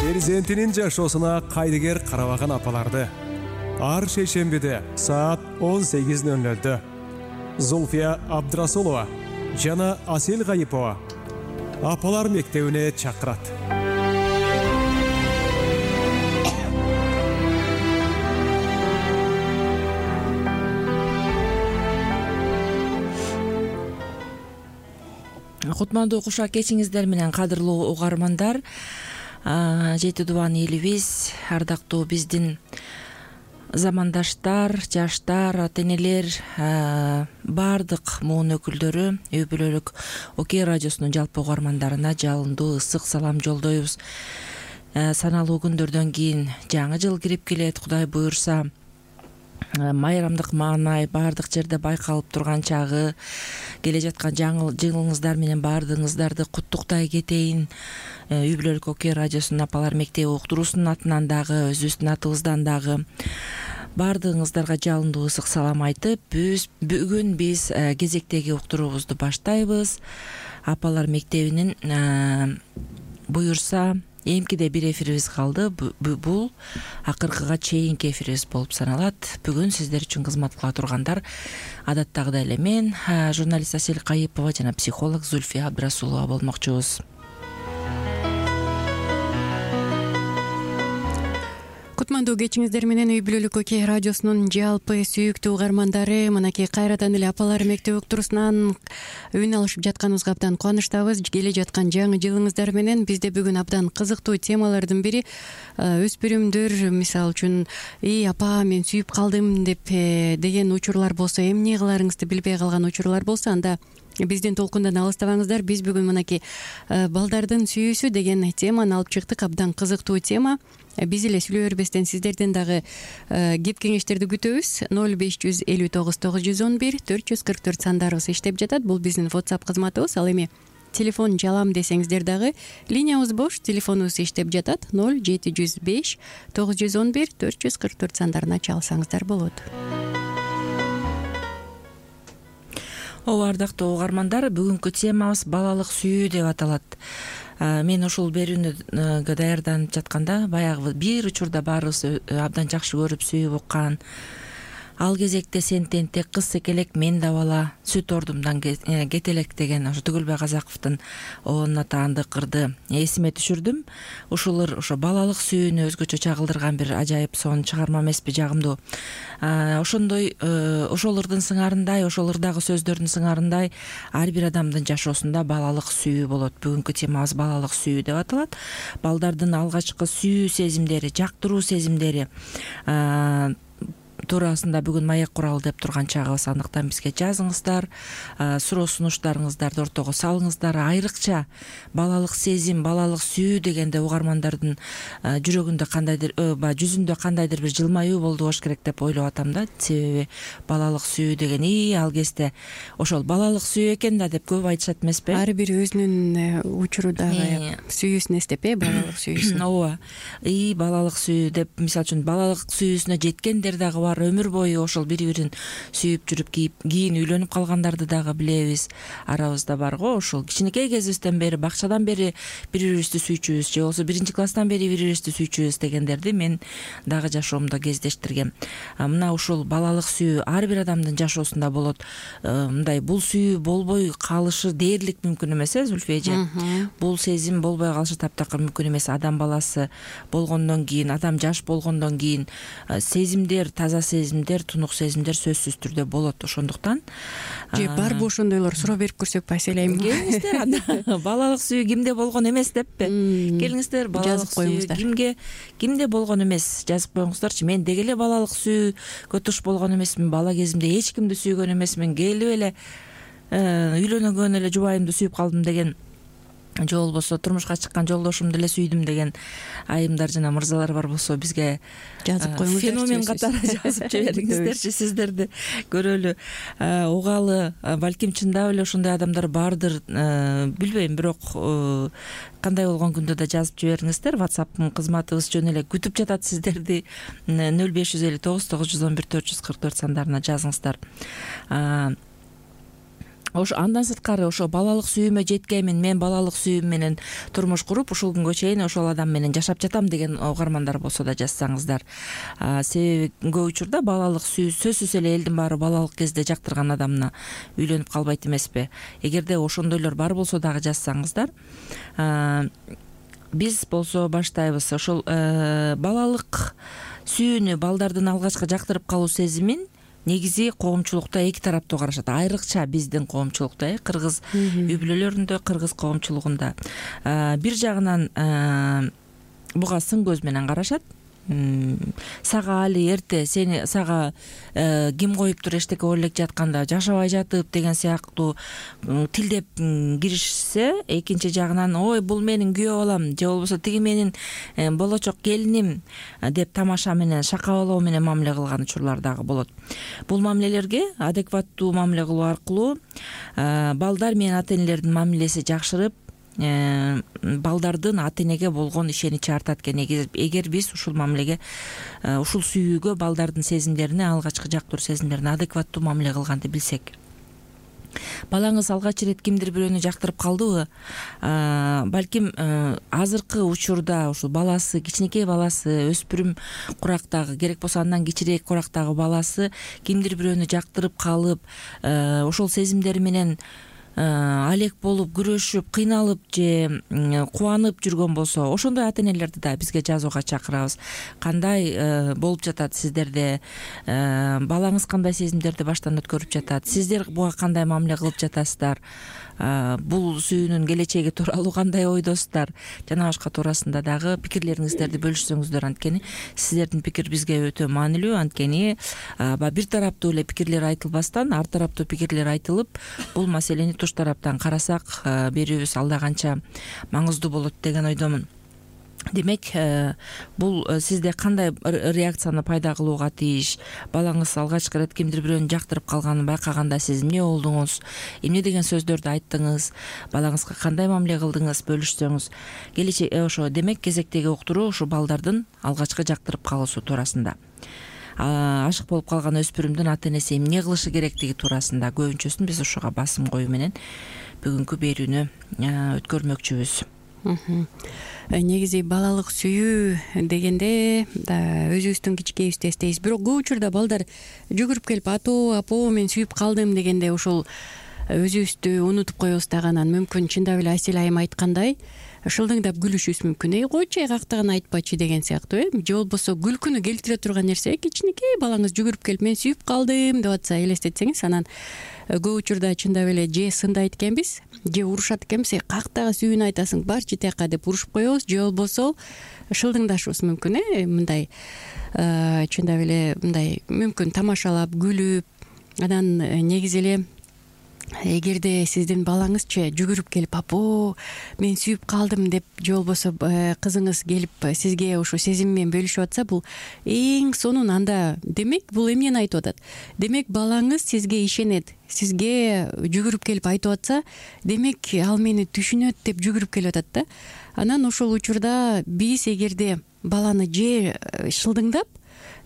перзентинин жашоосуна кайдыгер карабаган апаларды ар шейшембиде саат 18:00 Зульфия Абдрасулова жана Асел Гайипова апалар мектебине чакырат. Кутмандуу кушак кечиңиздер менен кадырлуу угармандар. Жети дубан элибиз, ардактуу биздин замандаштар, жаштар, ата-энелер, баардык муун өкүлдөрү үй бүлөлүк Окей радиосунун жалпы угармандарына жалындуу ысык салам жолдойбуз. Саналуу күндөрдөн кийин жаңы жыл кирип келет. Кудай буюрса майрамдык маанай баардык жерде байкалып турган чагы, келе жаткан жаңы жылыңыздар менен баардыгыңыздарды куттуктай кетейин. Үй бүлөлүк Окей радиосунун апалар мектеби уктуруусунун атынан дагы, өзүбүздүн атыбыздан дагы баардыгыңыздарга жалындуу ысык салам айтып, бүгүн биз кезектеги уктуруубузду баштайбыз. Апалар мектебинин буюрса эмкиде бир эфирибиз калды. Бул акыркыга чейинки эфирибиз болуп саналат. Бүгүн сиздер үчүн кызмат кыла тургандар адаттагыдай эле мен, журналист Асел Гайипова жана психолог Зульфия Абдрасулова болмокчубуз. Кутмандуу кечиңиздер менен үй бүлөлүк Окей радиосунун жалпы сүйүктүү угармандары, мынакей кайрадан эле апалар мектеби уктуруусунан үн алышып жатканыбызга абдан кубанычтабыз. Келе жаткан жаңы жылыңыздар менен бизде бүгүн абдан кызыктуу темалардын бири өспүрүмдөр мисалы үчүн апа мен сүйүп калдым деп деген учурлар болсо, эмне кыларыңызды билбей калган учурлар болсо, анда биздин толкундан алыстабаңыздар. Биз бүгүн мынакей балдардын сүйүүсү деген теманы алып чыктык. Абдан кызыктуу тема. Биз эле сүйлөй бербестен сиздерден дагы кеп кеңештерди күтөбүз. 0559 911 444 сандарыбыз иштеп жатат. Бул биздин WhatsApp кызматыбыз. Ал эми телефон жалам десеңиздер дагы линиябыз бош, телефонубуз иштеп жатат. 0705 911 444 сандарына чалсаңыздар болот. Ардактуу угармандар, бүгүнкү темабыз балалык сүйүү деп аталат. Мен ушул берүүнүгө даярданып жатканда баягы бир учурда баарыбыз абдан жакшы көрүп сүйүп уккан ал кезекте сен тентек, кыз секелек, мен да бала, сүт ордумдан кетелек деген ошо Түгүлбай Казаковдун оонун атаандык ырды эсиме түшүрдүм. Ошо балалык сүйүүнү өзгөчө чагылдырган бир ажайып сонун чыгарма эмеспи, жагымдуу. Ошондой ошол ырдын сыңарындай, ошол ырдагы сөздөрдүн сыңарындай ар бир адамдын жашоосунда балалык сүйүү болот. Бүгүнкү темабыз балалык сүйүү деп аталат. Балдардын алгачкы сүйүү сезимдери, жактыруу сезимдери туурасында бүгүн маек куралы деп турган чагыбыз. Андыктан бизге жазыңыздар, суроо сунуштарыңыздарды ортого салыңыздар. Айрыкча балалык сезим, балалык сүйүү дегенде угармандардын жүрөгүндө кандайдыр, жүзүндө кандайдыр бир жылмаюу болду болуш керек деп ойлоп атам да. Себеби балалык сүйүү деген ал кезде ошол балалык сүйүү экен да деп көп айтышат эмеспи? Ар бири өзүнүн учурудагы сүйүүсүн эстеп, балалык сүйүүсүн. Ооба. Балалык сүйүү деп, мисалы үчүн балалык сүйүүсүнө жеткендер дагы бар. Өмүр бою ошол бири-бирин сүйүп жүрүп кийин үйлөнүп калгандарды дагы билебиз. Арабызда бар го ошол кичинекей кезибизден бери, бакчадан бери бири-бирибизди сүйчүбүз, же болбосо 1-класстан бери бири-бирибизди сүйчүбүз дегендерди мен дагы жашоомдо кездештиргем. Мына ушул балалык сүйүү ар бир адамдын жашоосунда болот. Мындай бул сүйүү болбой калышы дээрлик мүмкүн эмес, Зульфия эже. Бул сезим болбой калышы таптакыр мүмкүн эмес. Адам баласы болгондон кийин, адам жаш болгондон кийин сезимдер, таза сезимдер, тунук сезимдер сөзсүз түрдө болот. Ошондуктан же барбы ошондойлор суроо берип көрсөкпү Асель айым? Келиңиздер анда балалык сүйүү кимде болгон эмес деппи? Келиңиздер, балалык сүйүү кимде болгон эмес, жазып коюңуздарчы. Мен деги эле балалык сүйүүгө туш болгон эмесмин, бала кезимде эч кимди сүйгөн эмесмин, келип эле үйлөнгөн эле жубайымды сүйүп калдым деген, же болбосо турмушка чыккан жолдошумду эле сүйдүм деген айымдар жана мырзалар бар болсо бизге жазып коюңуздар. Феномен катары жазып жибериңиздерчи, сиздерди көрөлү, угалы. Балким чындап эле ошондой адамдар бардыр, билбейм, бирок кандай болгон күндө да жазып жибериңиздер. WhatsApp кызматыбыз жөн эле күтүп жатат сиздерди. 0559 911 444 сандарына жазыңыздар. Андан сырткары ошо балалык сүйүүмө жеткенмин, мен балалык сүйүүм менен турмуш куруп ушул күнгө чейин ошол адам менен жашап жатам деген угармандар болсо да жазсаңыздар. Себеби көп учурда балалык сүйүү сөзсүз эле элдин баары балалык кезде жактырган адамына үйлөнүп калбайт эмеспи. Эгерде ошондойлор бар болсо дагы жазсаңыздар. Биз болсо баштайбыз. Ошол балалык сүйүүнү, балдардын алгачкы жактырып калуу сезимин негизи коомчулукта эки тараптуу карашат. Айрыкча биздин коомчулукта, кыргыз үй бүлөлөрүндө, кыргыз коомчулугунда бир жагынан буга сын көз менен карашат. Сага али эрте, сага ким коюптур эчтеке ойлоп жатканда жашабай жатып деген сыяктуу тилдеп киришсе, экинчи жагынан ой бул менин күйөө балам же болбосо тиги менин болочок келиним деп тамаша менен, шакабалоо менен мамиле кылган учурлар дагы болот. Бул мамилелерге адекваттуу мамиле кылуу аркылуу балдар менен ата-энелердин мамилеси жакшырып, балдардын ата-энеге болгон ишеничи артат экен. Эгер биз ушул мамилеге, ушул сүйүүгө, балдардын сезимдерине, алгачкы жактыруу сезимдерине адекваттуу мамиле кылганды билсек. Балаңыз алгач ирет кимдир бирөөнү жактырып калдыбы? Балким азыркы учурда ушул баласы, кичинекей баласы, өспүрүм курактагы, керек болсо андан кичирээк курактагы баласы кимдир бирөөнү жактырып калып, ошол сезимдери менен алек болуп, күрөшүп, кыйналып же кубанып жүргөн болсо, ошондой ата-энелерди да бизге жазууга чакырабыз. Кандай болуп жатат сиздерде? Балаңыз кандай сезимдерди баштан өткөрүп жатат? Сиздер буга кандай мамиле кылып жатасыздар? Бул сүйүүнүн келечеги тууралуу кандай ойдосуздар? Жана башка туурасында дагы пикирлериңиздерди бөлүшсөңүздөр, анткени сиздердин пикир бизге өтө маанилүү. Анткени бир тараптуу эле пикирлер айтылбастан, ар тараптуу пикирлер айтылып, бул маселени туш тараптан карасак, берүүбүз алда канча маңыздуу болот деген ойдомун. Демек, бул сизде кандай реакцияны пайда кылууга тийиш? Балаңыз алгачкы ирет кимдир бирөөнү жактырып калганын байкаганда сиз эмне болдуңуз? Эмне деген сөздөрдү айттыңыз? Балаңызга кандай мамиле кылдыңыз? Бөлүшсөңүз. Келечек ошо демек кезектеги уктуруу ушу балдардын алгачкы жактырып калуусу туурасында. Ашык болуп калган өспүрүмдүн ата-энеси эмне кылышы керектиги туурасында көбүнчөсүн биз ушуга басым коюу менен бүгүнкү берүүнү өткөрмөкчүбүз. Негизи балалык сүйүү дегенде өзүбүздүн кичинекейибизди эстейбиз. Бирок көп учурда балдар жүгүрүп келип апа мен сүйүп калдым дегенде ушул өзүбүздү унутуп коебуз дагы. Анан мүмкүн чындап эле Асель айым айткандай шылдыңдап күлүшүбүз мүмкүн. Койчу кактаган айтпачы деген сыяктуу, же болбосо күлкүнү келтире турган нерсе. Кичинекей балаңыз жүгүрүп келип мен сүйүп калдым деп атса элестетсеңиз, анан көп учурда чындап эле же сындайт экенбиз, же урушат экенбиз. Кактагы сүйүүнү айтасың, барчы тияка деп урушуп коебуз, же болбосо шылдыңдашыбыз мүмкүн. Мындай чындап эле мындай мүмкүн тамашалап, күлүп, анан негизи эле эгерде сиздин балаңызчы жүгүрүп келип апа мен сүйүп калдым деп, же болбосо кызыңыз келип сизге ушу сезим менен бөлүшүп атса, бул эң сонун. Анда демек бул эмнени айтып атат? Демек балаңыз сизге ишенет, сизге жүгүрүп келип айтып атса, демек ал мени түшүнөт деп жүгүрүп келип атат да. Анан ошол учурда биз эгерде баланы же шылдыңдап,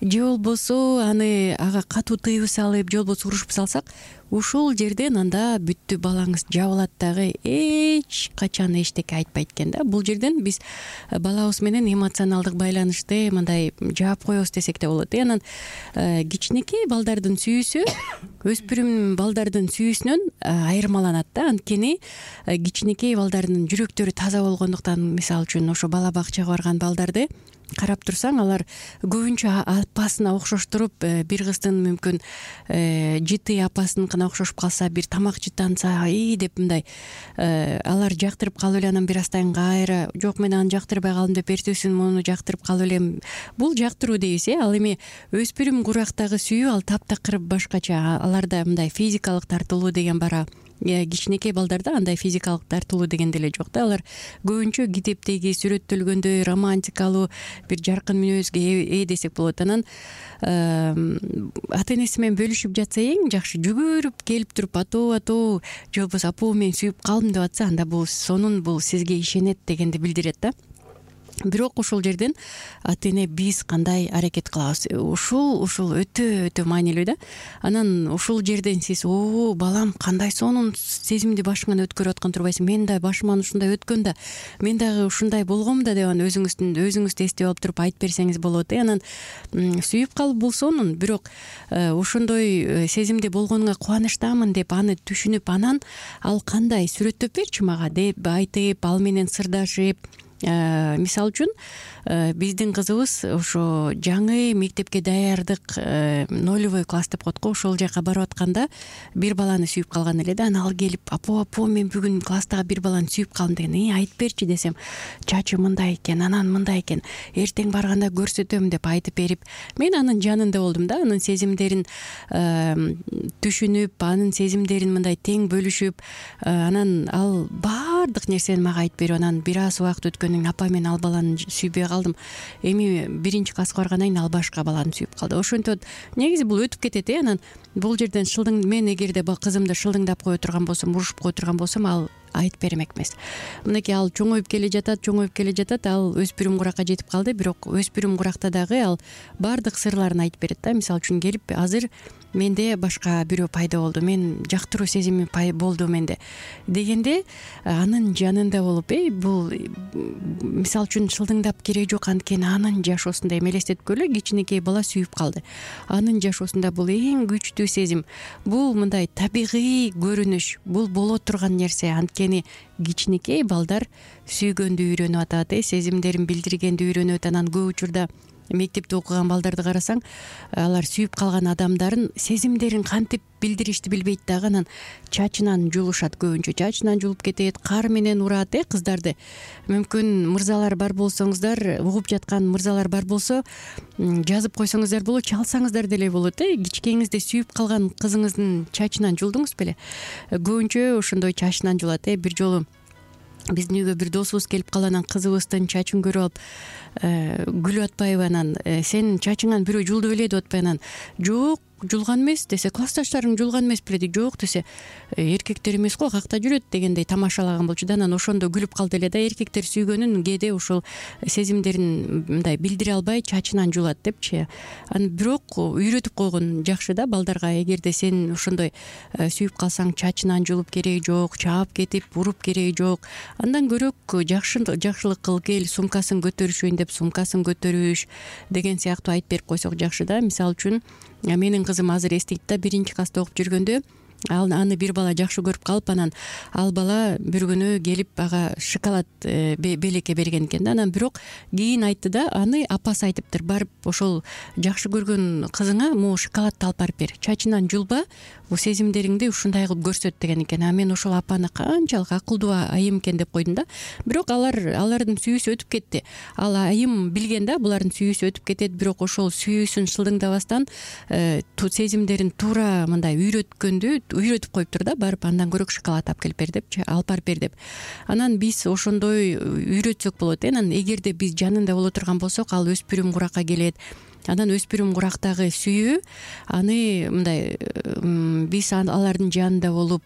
же болбосо аны ага катуу тыйып салып, же болбосо урушуп салсак, ушул жерден анда бүттү, балаңыз жабылат дагы, эч качан эчтеке айтпайт экен да. Бул жерден биз балабыз менен эмоционалдык байланышты мындай жаап коебуз десек да болот. Анан кичинекей балдардын сүйүүсү өспүрүм балдардын сүйүүсүнөн айырмаланат да. Анткени кичинекей балдардын жүрөктөрү таза болгондуктан, мисалы үчүн ошо бала бакчага барган балдарды карап турсаң, алар көбүнчө апасына окшоштуруп, бир кыздын мүмкүн жыты апасыныкына окшошуп калса, бир тамак жытанса деп мындай алар жактырып калып эле, анан бир аздан кайра жок мен аны жактырбай калдым деп эртесин муну жактырып калып элем. Бул жактыруу дейбиз. Ал эми өспүрүм курактагы сүйүү ал таптакыр башкача. Аларда мындай физикалык тартылуу деген бара. Кичинекей балдарда андай физикалык тартылуу деген деле жок да. Алар көбүнчө китептеги сүрөттөлгөндөй романтикалуу, бир жаркын мүнөзгө ээ десек болот. Анан ата-энеси менен бөлүшүп жатса эң жакшы. Жүгүрүп келип туруп атуу, же болбосо апа мен сүйүп калдым деп атса, анда бул сонун, бул сизге ишенет дегенди билдирет да. бирок ушул жерден ата эне биз кандай аракет кылабыз, ушул өтө маанилүү да. Анан ушул жерден сиз балам кандай сонун сезимди башыңан өткөрүп аткан турбайсың, мен да башыман ушундай өткөн да, мен дагы ушундай болгом да деп анан өзүңүздү эстеп алып туруп айтып берсеңиз болот. Анан сүйүп калып бул сонун, бирок ошондой сезимде болгонуңа кубанычтамын деп аны түшүнүп, анан ал кандай сүрөттөп берчи мага деп айтып, ал менен сырдашып. Мисалы үчүн биздин кызыбыз ошо жаңы мектепке даярдык нолевой класс деп коет го, ошол жака барып атканда бир баланы сүйүп калган эле да. Анан ал келип, апа мен бүгүн класстагы бир баланы сүйүп калдым деген. Айтып берчи десем, чачы мындай экен, анан мындай экен, эртең барганда көрсөтөм деп айтып берип, мен анын жанында болдум да. Анын сезимдерин түшүнүп, анын сезимдерин мындай тең бөлүшүп, анан ал баардык нерсени мага айтып берип, анан бир аз убакыт өткөндөн кийин апа мен ал баланы сүйбөй калдым, эми 1-класска баргандан кийин ал башка баланы сүйүп калды. Ошентип негизи бул өтүп кетет. Анан бул жерден мен эгерде кызымды шылдыңдап кое турган болсом, урушуп кое турган болсом, ал айтып бермек эмес. Мынакей ал чоңоюп келе жатат, ал өспүрүм куракка жетип калды, бирок өспүрүм куракта дагы ал баардык сырларын айтып берет да. Мисалы үчүн келип, азыр менде башка бирөө пайда болду, мен жактыруу сезими болду менде дегенде, анын жанында болуп, бул мисалы үчүн шылдыңдап кереги жок, анткени анын жашоосунда элестеткөлө, кичинекей бала сүйүп калды. Анын жашоосунда бул эң күчтүү сезим, бул мындай табигый көрүнүш, бул боло турган нерсе. Анткени кичинекей балдар сүйгөндү үйрөнүп атат, сезимдерин билдиргенди үйрөнөт. Анан көп учурда мектепте окуган балдарды карасаң, алар сүйүп калган адамдарын сезимдерин кантип билдиришти билбейт дагы, анан чачынан жулушат, көбүнчө чачынан жулуп кетет, кар менен урат. Кыздарды мүмкүн мырзалар бар болсоңуздар, угуп жаткан мырзалар бар болсо, жазып койсоңуздар болот, чалсаңыздар деле болот. Кичкеңизде сүйүп калган кызыңыздын чачынан жулдуңуз беле? Көбүнчө ошондой чачынан жулат. Бир жолу биздин үйгө бир досубуз келип калып, анан кызыбыздын чачын көрүп алып, күлүп атпайбы, анан сенин чачыңан бирөө жулду беле деп атпайбы, анан жок, жулган эмес десе, классташтарың жулган эмес беле дейт. Жок десе, эркектер эмес го, какта жүрөт дегендей тамашалаган болчу да. Анан ошондо күлүп калды эле да. Эркектер сүйгөнүн кээде ушул сезимдерин мындай билдире албай чачынан жулат депчи. Анан бирок үйрөтүп койгон жакшы да балдарга. Эгерде сен ошондой сүйүп калсаң, чачынан жулуп кереги жок, чаап кетип уруп кереги жок. Андан көрөк жакшылык кыл, кел сумкасын көтөрүшөйүн деп сумкасын көтөрүш деген сыяктуу айтып берип койсок жакшы да. Мисалы үчүн менин кызым азыр эстейт да, 1-класста окуп жүргөндө аны бир бала жакшы көрүп калып, анан ал бала бир күнү келип ага шоколад белекке берген экен да. Анан бирок кийин айтты да, аны апасы айтыптыр, барып ошол жакшы көргөн кызыңа могу шоколадты алып барып бер, чачынан жулба, бул сезимдериңди ушундай кылып көрсөт деген экен. Мен ошол апаны канчалык акылдуу айым экен деп койдум да. Бирок алардын сүйүүсү өтүп кетти. Ал айым билген да, булардын сүйүүсү өтүп кетет, бирок ошол сүйүүсүн шылдыңдабастан сезимдерин туура мындай үйрөтүп коюптур да, барып андан көрөк шоколад алып келип бер депчи, алып барып бер деп. Анан биз ошондой үйрөтсөк болот. Анан эгерде биз жанында боло турган болсок, ал өспүрүм куракка келет. Анан өспүрүм курактагы сүйүү, аны мындай биз алардын жанында болуп,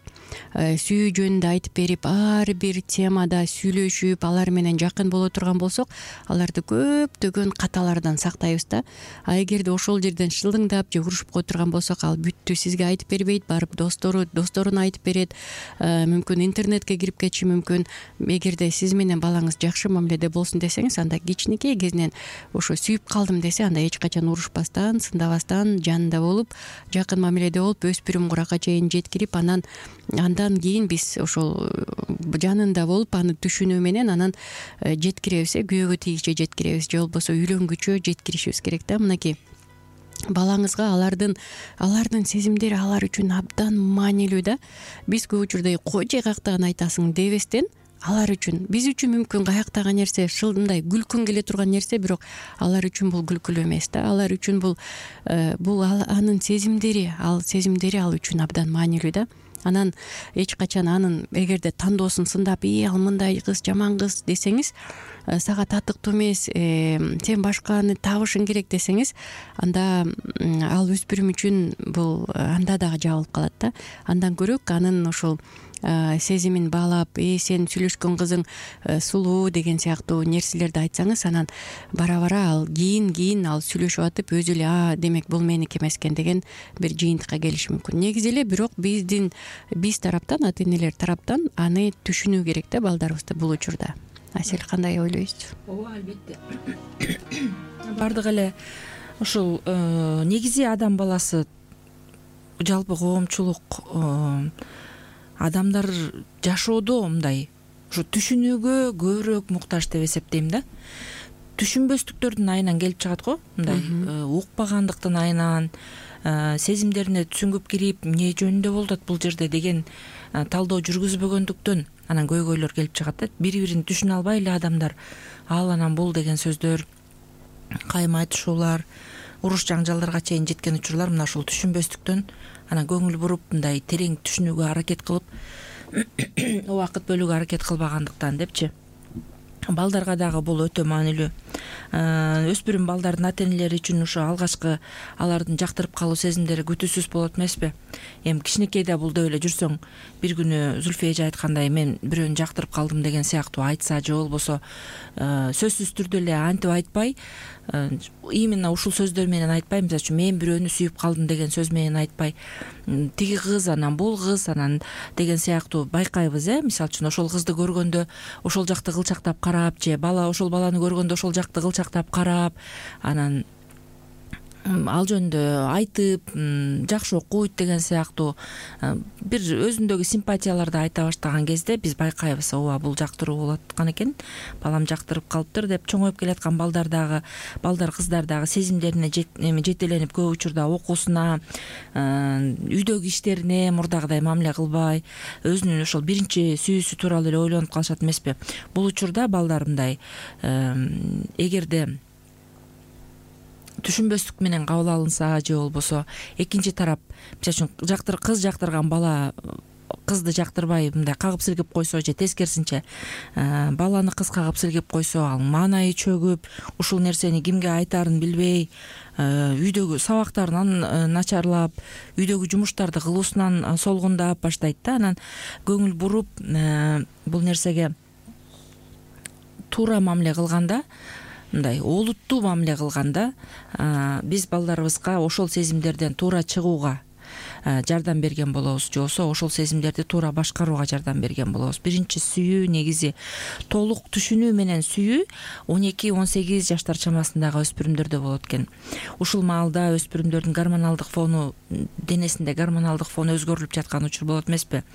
сүйүү жөнүндө айтып берип, ар бир темада сүйлөшүп, алар менен жакын боло турган болсок, аларды көптөгөн каталардан сактайбыз да. Эгерде ошол жерден шылдыңдап же урушуп кое турган болсок, ал бүттү, сизге айтып бербейт, барып досторуна айтып берет, мүмкүн интернетке кирип кетиши мүмкүн. Эгерде сиз менен балаңыз жакшы мамиледе болсун десеңиз, анда кичинекей кезинен ошо сүйүп калдым десе, анда эч качан урушпастан, сындабастан жанында болуп, жакын мамиледе болуп, өспүрүм куракка чейин жеткирип, андан кийин биз ошол жанында болуп, аны түшүнүү менен анан жеткиребиз, күйөөгө тийгиче жеткиребиз, же болбосо үйлөнгүчө жеткиришибиз керек да. Мынакей балаңызга алардын сезимдери алар үчүн абдан маанилүү да. Биз көп учурда кой же каяктаган айтасың дебестен, алар үчүн, биз үчүн мүмкүн каяктагы нерсе шылдындай күлкүң келе турган нерсе, бирок алар үчүн бул күлкүлүү эмес да. Алар үчүн бул анын сезимдери ал үчүн абдан маанилүү да. Анан эч качан анын эгерде тандоосун сындап, ал мындай кыз, жаман кыз десеңиз, сага татыктуу эмес, сен башканы табышың керек десеңиз, анда ал өспүрүм үчүн бул анда дагы жабылып калат да. Андан көрөк анын ошол сезимин баалап сен сүйлөшкөн кызың сулуу деген сыяктуу нерселерди айтсаңыз, анан бара бара ал кийин ал сүйлөшүп атып өзү эле демек бул меники эмес экен деген бир жыйынтыкка келиши мүмкүн. Негизи эле бирок биз тараптан, ата энелер тараптан аны түшүнүү керек да балдарыбызды бул учурда. Асель, кандай ойлойсуз? Ооба, албетте. Бардык эле ушул негизи адам баласы, жалпы коомчулук, адамдар жашоодо мындай ушу түшүнүүгө көбүрөөк муктаж деп эсептейм да. Түшүнбөстүктөрдүн айынан келип чыгат го, мындай укпагандыктын айынан, сезимдерине түсүнгүп кирип, эмне жөнүндө болуп атат бул жерде деген талдоо жүргүзбөгөндүктөн анан көйгөйлөр келип чыгат да. Бири-бирин түшүнө албай эле адамдар ал анан бул деген сөздөр, кайым айтышуулар, уруш жаңжалдарга чейин жеткен учурлар мына ушул түшүнбөстүктөн анан көңүл буруп мындай терең түшүнүүгө аракет кылып убакыт бөлүүгө аракет кылбагандыктан депчи. Балдарга дагы бул өтө маанилүү. Өспүрүм балдардын ата энелери үчүн ушу алгачкы алардын жактырып калуу сезимдери күтүүсүз болот эмеспи? Эми кичинекейде булдап эле жүрсөң, бир күнү Зүлфия эже айткандай мен бирөөнү жактырып калдым деген сыяктуу айтса же болбосо сөзсүз түрдө эле антип айтпай, именно ушул сөздөр менен айтпай, мисалы үчүн мен бирөөнү сүйүп калдым деген сөз менен айтпай, тиги кыз анан бул кыз анан деген сыяктуу байкайбыз. Мисалы үчүн ошол кызды көргөндө ошол жакты кылчактап карап, же бала ошол баланы көргөндө ошол жакты кылчактап карап, анан ал жөнүндө айтып, жакшы окуйт деген сыяктуу бир өзүндөгү симпатияларды айта баштаган кезде биз байкайбыз, ооба бул жактыруу болуп аткан экен, балам жактырып калыптыр деп. Чоңоюп келаткан балдар, кыздар дагы сезимдерине жетеленип көп учурда окуусуна, үйдөгү иштерине мурдагыдай мамиле кылбай, өзүнүн ошол биринчи сүйүүсү тууралуу эле ойлонуп калышат эмеспи? Бул учурда балдар мындай эгерде түшүнбөстүк менен кабыл алынса, же болбосо экинчи тарап, мисалы үчүн кыз жактырган бала кызды жактырбай мындай кагып силгип койсо, же тескерисинче баланы кыз кагып силгип койсо, ал маанайы чөгүп, ушул нерсени кимге айтаарын билбей, үйдөгү сабактарынан начарлап, үйдөгү жумуштарды кылуусунан солгундап баштайт да. Анан көңүл буруп бул нерсеге туура мамиле кылганда, мындай олуттуу мамиле кылганда, биз балдарыбызга ошол сезимдерден туура чыгууга жардам берген болобуз, же болбосо ошол сезимдерди туура башкарууга жардам берген болобуз. Биринчи сүйүү, негизи толук түшүнүү менен сүйүү 12-18 жаштар чамасындагы өспүрүмдөрдө болот экен. Ушул маалда өспүрүмдөрдүн гормоналдык фону, денесинде гормоналдык фон өзгөрүлүп жаткан учур болот эмеспи?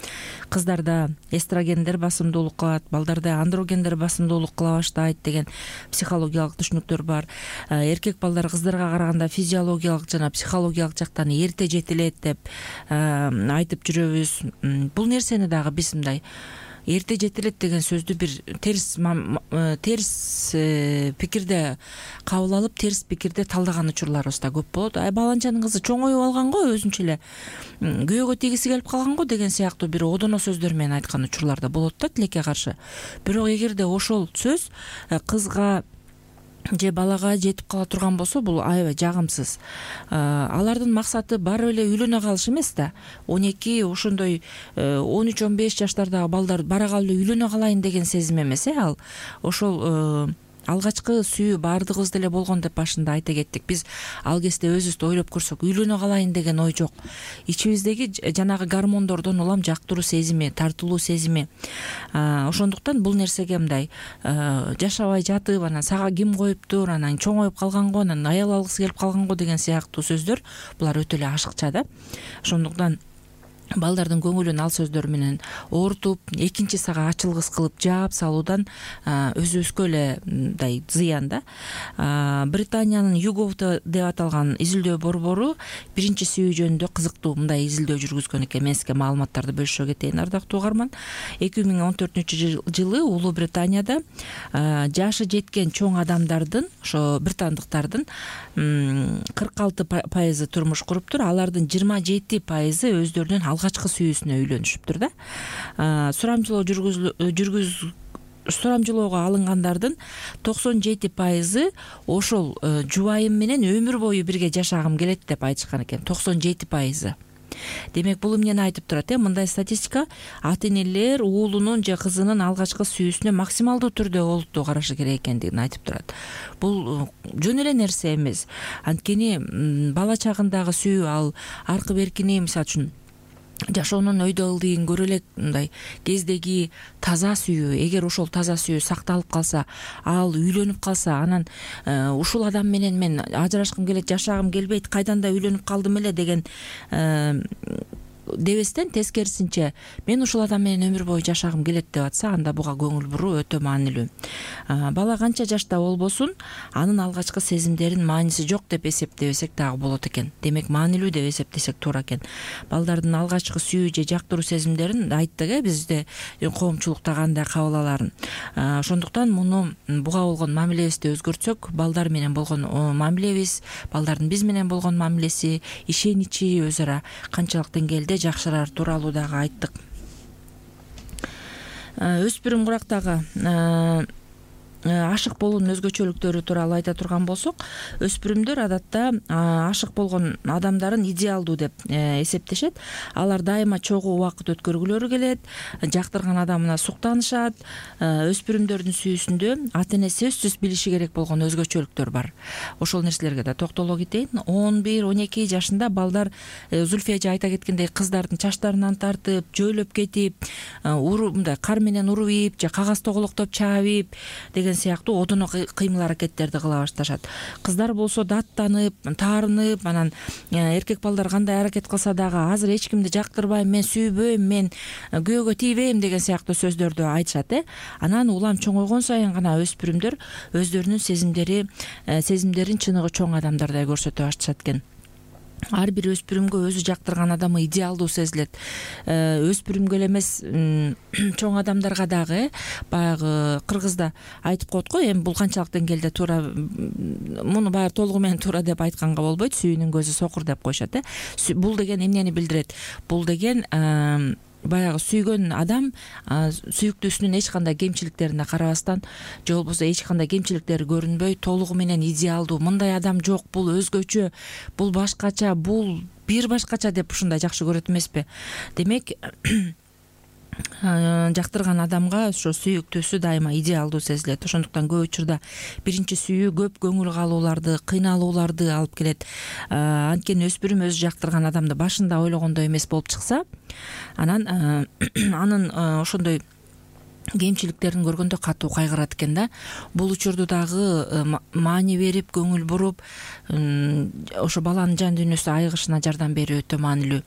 Кыздарда эстрогендер басымдуулук кылат, балдарда андрогендер басымдуулук кыла баштайт деген психологиялык түшүнүктөр бар. Эркек балдар кыздарга караганда физиологиялык жана психологиялык жактан эрте жетилет деп айтып жүрөбүз. Бул нерсени дагы биз мындай эрте жетилет деген сөздү бир терс пикирде кабыл алып, терс пикирде талдаган учурларыбыз да көп болот. Баланчанын кызы чоңоюп алган го, өзүнчө эле күйөөгө тийгиси келип калган го деген сыяктуу бир одоно сөздөр менен айткан учурлар да болот да тилекке каршы. Бирок эгерде ошол сөз кызга же балага жетип кала турган болсо, бул аябай жагымсыз. Алардын максаты барып эле үйлөнө калыш эмес да. 12, ошондой 13-15 жаштардагы балдар бара калып эле үйлөнө калайын деген сезим эмес. Ал ошол алгачкы сүйүү баардыгыбызда эле болгон деп башында айта кеттик. Биз ал кезде өзүбүздү ойлоп көрсөк, үйлөнө калайын деген ой жок. Ичибиздеги жанагы гормондордон улам жактыруу сезими, тартылуу сезими. Ошондуктан бул нерсеге мындай жашабай жатып, анан сага ким коюптур, анан чоңоюп калган го, анан аял алгысы келип калган го деген сыяктуу сөздөр, булар өтө эле ашыкча да. Ошондуктан балдардын көңүлүн ал сөздөр менен оорутуп, экинчи сага ачылгыс кылып жаап салуудан өзүбүзгө эле мындай зыян да. Британиянын YouGov деп аталган изилдөө борбору биринчи сүйүү жөнүндө кызыктуу мындай изилдөө жүргүзгөн экен. Мен сизге маалыматтарды бөлүшө кетейин, ардактуу угарман. 2014-жылы Улуу Британияда жашы жеткен чоң адамдардын, ошо британдыктардын 46% турмуш куруптур. Алардын 27% өздөрүнүн алгачкы сүйүүсүнө үйлөнүшүптүр да. Сурамжылоого алынгандардын 97% ошол жубайым менен өмүр бою бирге жашагым келет деп айтышкан экен. 97%. Демек бул эмнени айтып турат? Мындай статистика ата энелер уулунун же кызынын алгачкы сүйүүсүнө максималдуу түрдө олуттуу карашы керек экендигин айтып турат. Бул жөн эле нерсе эмес. Анткени бала чагындагы сүйүү ал аркы беркини, мисалы үчүн жашоонун өйдө ылдыйын көрө элек мындай кездеги таза сүйүү, эгер ошол таза сүйүү сакталып калса, ал үйлөнүп калса, анан ушул адам менен мен ажырашкым келет, жашагым келбейт, кайдан да үйлөнүп калдым эле деген дебестен, тескерисинче мен ушул адам менен өмүр бою жашагым келет деп атса, анда буга көңүл буруу өтө маанилүү. Бала канча жашта болбосун, анын алгачкы сезимдерин мааниси жок деп эсептебесек дагы болот экен. Демек маанилүү деп эсептесек туура экен. Балдардын алгачкы сүйүү же жактыруу сезимдерин айттык, бизде коомчулукта кандай кабыл аларын. Ошондуктан муну буга болгон мамилебизди өзгөртсөк, балдар менен болгон мамилебиз, балдардын биз менен болгон мамилеси, ишеничи өз ара канчалык деңгээлде жакшырар тууралуу дагы айттык. Өспүрүм курактагы ашык болуунун өзгөчөлүктөрү тууралуу айта турган болсок, өспүрүмдөр адатта ашык болгон адамдарын идеалдуу деп эсептешет. Алар дайыма чогуу убакыт өткөргүлөрү келет, жактырган адамына суктанышат. Өспүрүмдөрдүн сүйүүсүндө ата эне сөзсүз билиши керек болгон өзгөчөлүктөр бар. Ошол нерселерге да токтоло кетейин. 11-12 жашында балдар Зульфия эже айта кеткендей кыздардын чачтарынан тартып, жөөлөп кетип, мындай кар менен уруп ийип же кагаз тоголоктоп чаап деген сыяктуу одоно кыймыл аракеттерди кыла башташат. Кыздар болсо даттанып, таарынып, анан эркек балдар кандай аракет кылса дагы азыр эч кимди жактырбайм, мен сүйбөйм, мен күйөөгө тийбейм деген сыяктуу сөздөрдү айтышат. Анан улам чоңойгон сайын гана өспүрүмдөр өздөрүнүн сезимдерин чыныгы чоң адамдардай көрсөтө башташат экен. Ар бир өспүрүмгө өзү жактырган адамы идеалдуу сезилет. Өспүрүмгө эле эмес, чоң адамдарга дагы баягы кыргызда айтып коет го, эми бул канчалык деңгээлде туура, муну баягы толугу менен туура деп айтканга болбойт, сүйүүнүн көзү сокур деп коюшат. Бул деген эмнени билдирет? Бул деген баягы сүйгөн адам сүйүктүүсүнүн эч кандай кемчиликтерине карабастан, же болбосо эч кандай кемчиликтери көрүнбөй, толугу менен идеалдуу, мындай адам жок, бул өзгөчө, бул башкача, бул бир башкача деп ушундай жакшы көрөт эмеспи? Демек жактырган адамга ошо сүйүктүүсү дайыма идеалдуу сезилет. Ошондуктан көп учурда биринчи сүйүү көп көңүл калууларды, кыйналууларды алып келет. Анткени өспүрүм өзү жактырган адамды башында ойлогондой эмес болуп чыкса, анан анын ошондой кемчиликтерин көргөндө катуу кайгырат экен да. Бул учурду дагы маани берип, көңүл буруп, ошо баланын жан дүйнөсү айыгышына жардам берүү өтө маанилүү.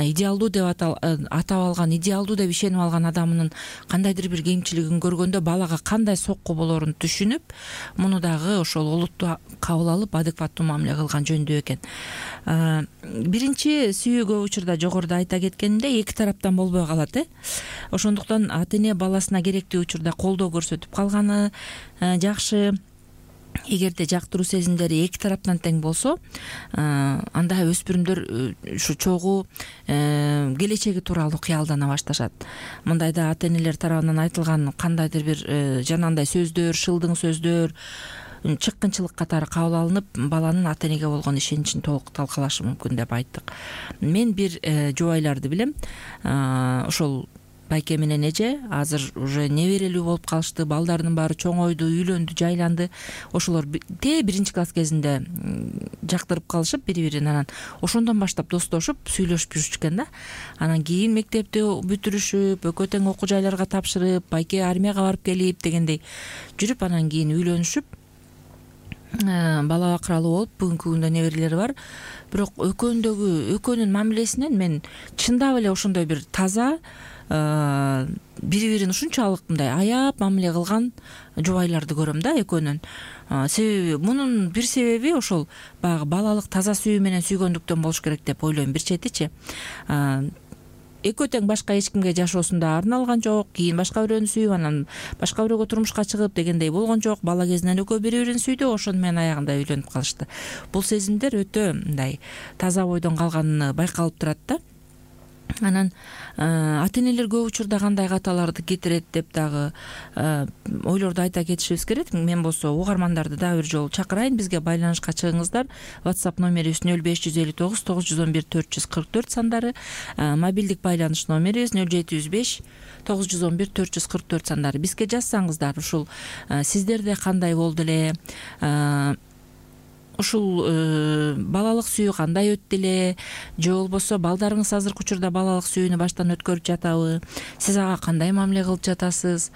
Идеалдуу деп атап алган, идеалдуу деп ишенип алган адамынын кандайдыр бир кемчилигин көргөндө балага кандай сокку болорун түшүнүп, муну дагы ошол олуттуу кабыл алып, адекваттуу мамиле кылган жөндүү экен. Биринчи сүйүү көп учурда жогоруда айта кеткенимдей эки тараптан болбой калат. Ошондуктан ата эне баласына керектүү учурда колдоо көрсөтүп калганы жакшы. Эгерде жактыруу сезимдери эки тараптан тең болсо, анда өспүрүмдөр ушу чогуу келечеги тууралуу кыялдана башташат. Мындайда ата энелер тарабынан айтылган кандайдыр бир жанагындай сөздөр, шылдың сөздөр, чыккынчылык катары кабыл алынып, баланын ата энеге болгон ишеничин толук талкалашы мүмкүн деп айттык. Мен бир жубайларды билем. Ошол байке менен эже азыр уже неберелүү болуп калышты, балдарынын баары чоңойду, үйлөндү, жайланды. Ошолор биринчи класс кезинде жактырып калышып бири-бирин, анан ошондон баштап достошуп, сүйлөшүп жүрүшкөн да. Анан кийин мектепти бүтүрүшүп, экөө тең окуу жайларга тапшырып, байке армияга барып келип дегендей жүрүп, анан кийин үйлөнүшүп, бала бакыралуу болуп, бүгүнкү күндө неберелери бар. Бирок экөөнүн мамилесинен мен чындап эле ошондой бир таза, бири-бирин ушунчалык мындай аяп мамиле кылган жубайларды көрөм да экөөнүн. Себеби мунун бир себеби ошол баягы балалык таза сүйүү менен сүйгөндүктөн болуш керек деп ойлойм. Бир четичи экөө тең башка эч кимге жашоосунда арналган жок, кийин башка бирөөнү сүйүп, анан башка бирөөгө турмушка чыгып дегендей болгон жок. Бала кезинен экөө бири-бирин сүйдү, ошону менен аягында үйлөнүп калышты. Бул сезимдер өтө мындай таза бойдон калганына байкалып турат да. Анан ата энелер көп учурда кандай каталарды кетирет деп дагы ойлорду айта кетишибиз керек. Мен болсо угармандарды дагы бир жолу чакырайын, бизге байланышка чыгыңыздар. WhatsApp номерибиз 0559 911 444 сандары, мобилдик байланыш номерибиз 0705 911 444 сандары. Бизге жазсаңыздар, ушул сиздерде кандай болду эле, ушул балалык сүйүү кандай өттү эле, же болбосо балдарыңыз азыркы учурда балалык сүйүүнү баштан өткөрүп жатабы, сиз ага кандай мамиле кылып жатасыз,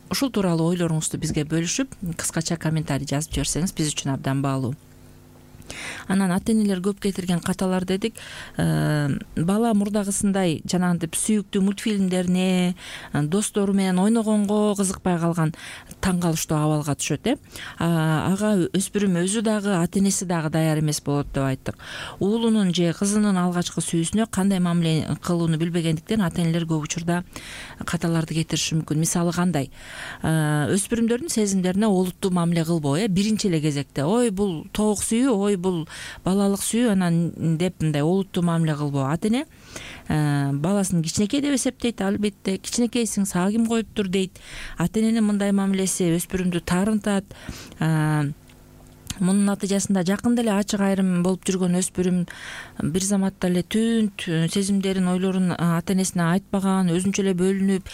ушул тууралуу ойлоруңузду бизге бөлүшүп, кыскача комментарий жазып жиберсеңиз биз үчүн абдан баалуу. Анан ата энелер көп кетирген каталар дедик. Бала мурдагысындай жанагынтип сүйүктүү мультфильмдерине, достору менен ойногонго кызыкпай калган таң калыштуу абалга түшөт. Ага өспүрүм өзү дагы, ата энеси дагы даяр эмес болот деп айттык. Уулунун же кызынын алгачкы сүйүүсүнө кандай мамиле кылууну билбегендиктен ата энелер көп учурда каталарды кетириши мүмкүн. Мисалы кандай? Өспүрүмдөрдүн сезимдерине олуттуу мамиле кылбоо, биринчи эле кезекте. Ой, бул тоок сүйүү, ой, бул балалык сүйүү, анан деп мындай олуттуу мамиле кылбоо. Ата эне баласын кичинекей деп эсептейт, албетте. Кичинекейсиң, сага ким коюптур дейт. Ата эненин мындай мамилеси өспүрүмдү таарынтат. Мунун натыйжасында жакында эле ачык айрым болуп жүргөн өспүрүм бир заматта эле түнт сезимдерин, ойлорун ата энесине айтпаган, өзүнчө эле бөлүнүп,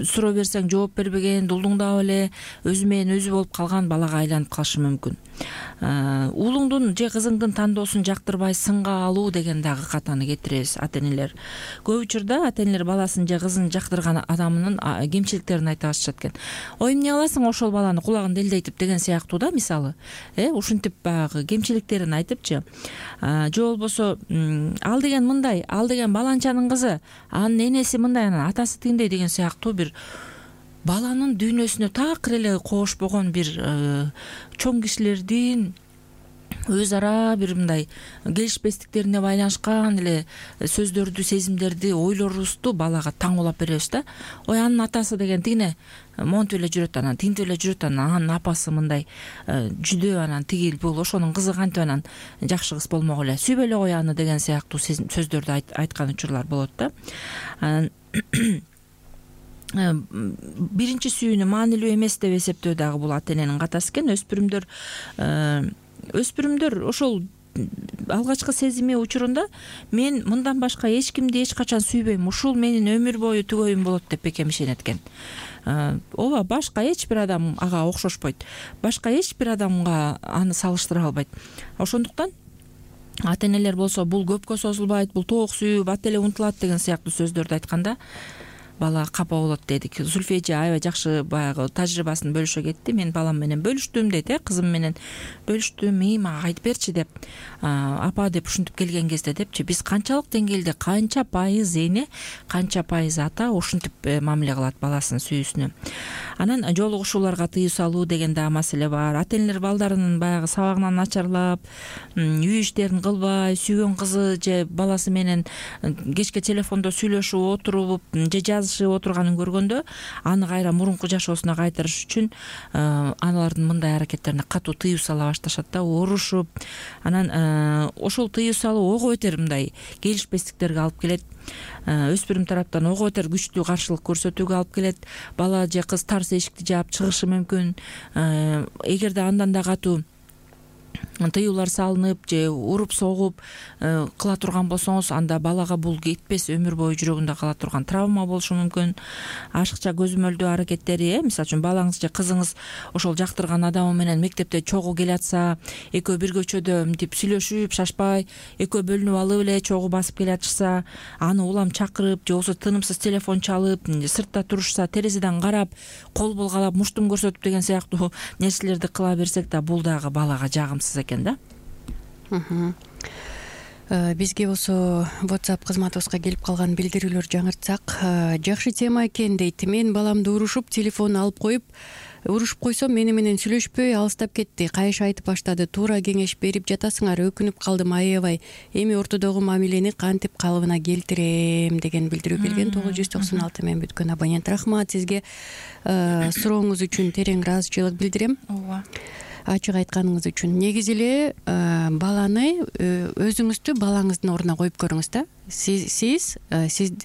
суроо берсең жооп бербеген, дулдуңдап эле өзү менен өзү болуп калган балага айланып калышы мүмкүн. Уулуңдун же кызыңдын тандоосун жактырбай сынга алуу деген дагы катаны кетиребиз ата энелер. Көп учурда ата энелер баласын же кызын жактырган адамынын кемчиликтерин айта башашат экен. Ой, эмне кыласың ошол баланы кулагын делдейтип деген сыяктуу да, мисалы. Ушинтип баягы кемчиликтерин айтыпчы. Же болбосо ал деген мындай, ал деген баланчанын кызы, анын энеси мындай, анан атасы тигиндей деген сыяктуу бир баланын дүйнөсүнө такыр эле кошпогон бир чоң кишилердин өз ара бир мындай келишпестиктерине байланышкан эле сөздөрдү, сезимдерди, ойлорубузду балага таңуулап беребиз да. Ой, анын атасы деген тигине монтип эле жүрөт, анан тинтип эле жүрөт, анын апасы мындай жүдөө, анан тигил бул, ошонун кызы кантип анан жакшы кыз болмок эле, сүйбөй эле кой аны деген сыяктуу сөздөрдү айткан учурлар болот да. Биринчи сүйүүнү маанилүү эмес деп эсептөө дагы бул ата эненин катасы экен. Өспүрүмдөр ошол алгачкы сезими учурунда мен мындан башка эч кимди эч качан сүйбөйм, ушул менин өмүр бою түгөйүм болот деп бекем ишенет экен. Ооба, башка эч бир адам ага окшошпойт, башка эч бир адамга аны салыштыра албайт. Ошондуктан ата энелер болсо бул көпкө созулбайт, бул тоок сүйүү бат эле унутулат деген сыяктуу сөздөрдү айтканда бала капа болот дедик. Зульфия эже аябай жакшы баягы тажрыйбасын бөлүшө кетти. Мен балам менен бөлүштүм дейт, кызым менен бөлүштүм, мага айтып берчи деп, апа деп ушинтип келген кезде депчи, биз канчалык деңгээлде, канча пайыз эне, канча пайыз ата ушинтип мамиле кылат баласынын сүйүүсүнө. Анан жолугушууларга тыюу салуу деген да маселе бар. Ата энелер балдарынын баягы сабагынан начарлап, үй иштерин кылбай, сүйгөн кызы же баласы менен кечке телефондо сүйлөшүп отуруп же жазышып отурганын көргөндө, аны кайра мурунку жашоосуна кайтарыш үчүн аналардын мындай аракеттерине катуу тыюу сала башташат да, урушуп. Анан ошол тыюу салуу ого бетер мындай келишпестиктерге алып келет. Өспүрүм тараптан ого бетер күчтүү каршылык көрсөтүүгө алып келет. Бала же кыз тарс эшикти жаап чыгышы мүмкүн. Эгерде андан да катуу тыюулар салынып же уруп согуп кыла турган болсоңуз, анда балага бул кетпес, өмүр бою жүрөгүндө кала турган травма болушу мүмкүн. Ашыкча көзөмөлдөө аракеттери, мисалы үчүн балаңыз же кызыңыз ошол жактырган адамы менен мектепте чогуу келе атса, экөө бир көчөдө мынтип сүйлөшүп, шашпай, экөө бөлүнүп алып эле чогуу басып келе атышса, аны улам чакырып, же болбосо тынымсыз телефон чалып, сыртта турушса, терезеден карап, кол булгалап, муштум көрсөтүп деген сыяктуу нерселерди кыла берсек да, бул дагы балага жагымсыз экен да. Бизге болсо WhatsApp кызматыбызга келип калган билдирүүлөр жаңыртсак, жакшы тема экен дейт. Мен баламды урушуп, телефон алып коюп, урушуп койсом мени менен сүйлөшпөй алыстап кетти. Кайшы айтып баштады. Туура кеңеш берип жатасыңар, өкүнүп калдым, аябай. Эми ортодогу мамилени кантип калыбына келтирем деген билдирүү келген. 996 менен бүткөн абонент. Рахмат сизге. Сурооңуз үчүн терең ыраазычылык билдирем. Ооба. ачык айтканыңыз үчүн. Негизи эле баланы өзүңүздү балаңыздын ордуна коюп көрүңүз да. Сиз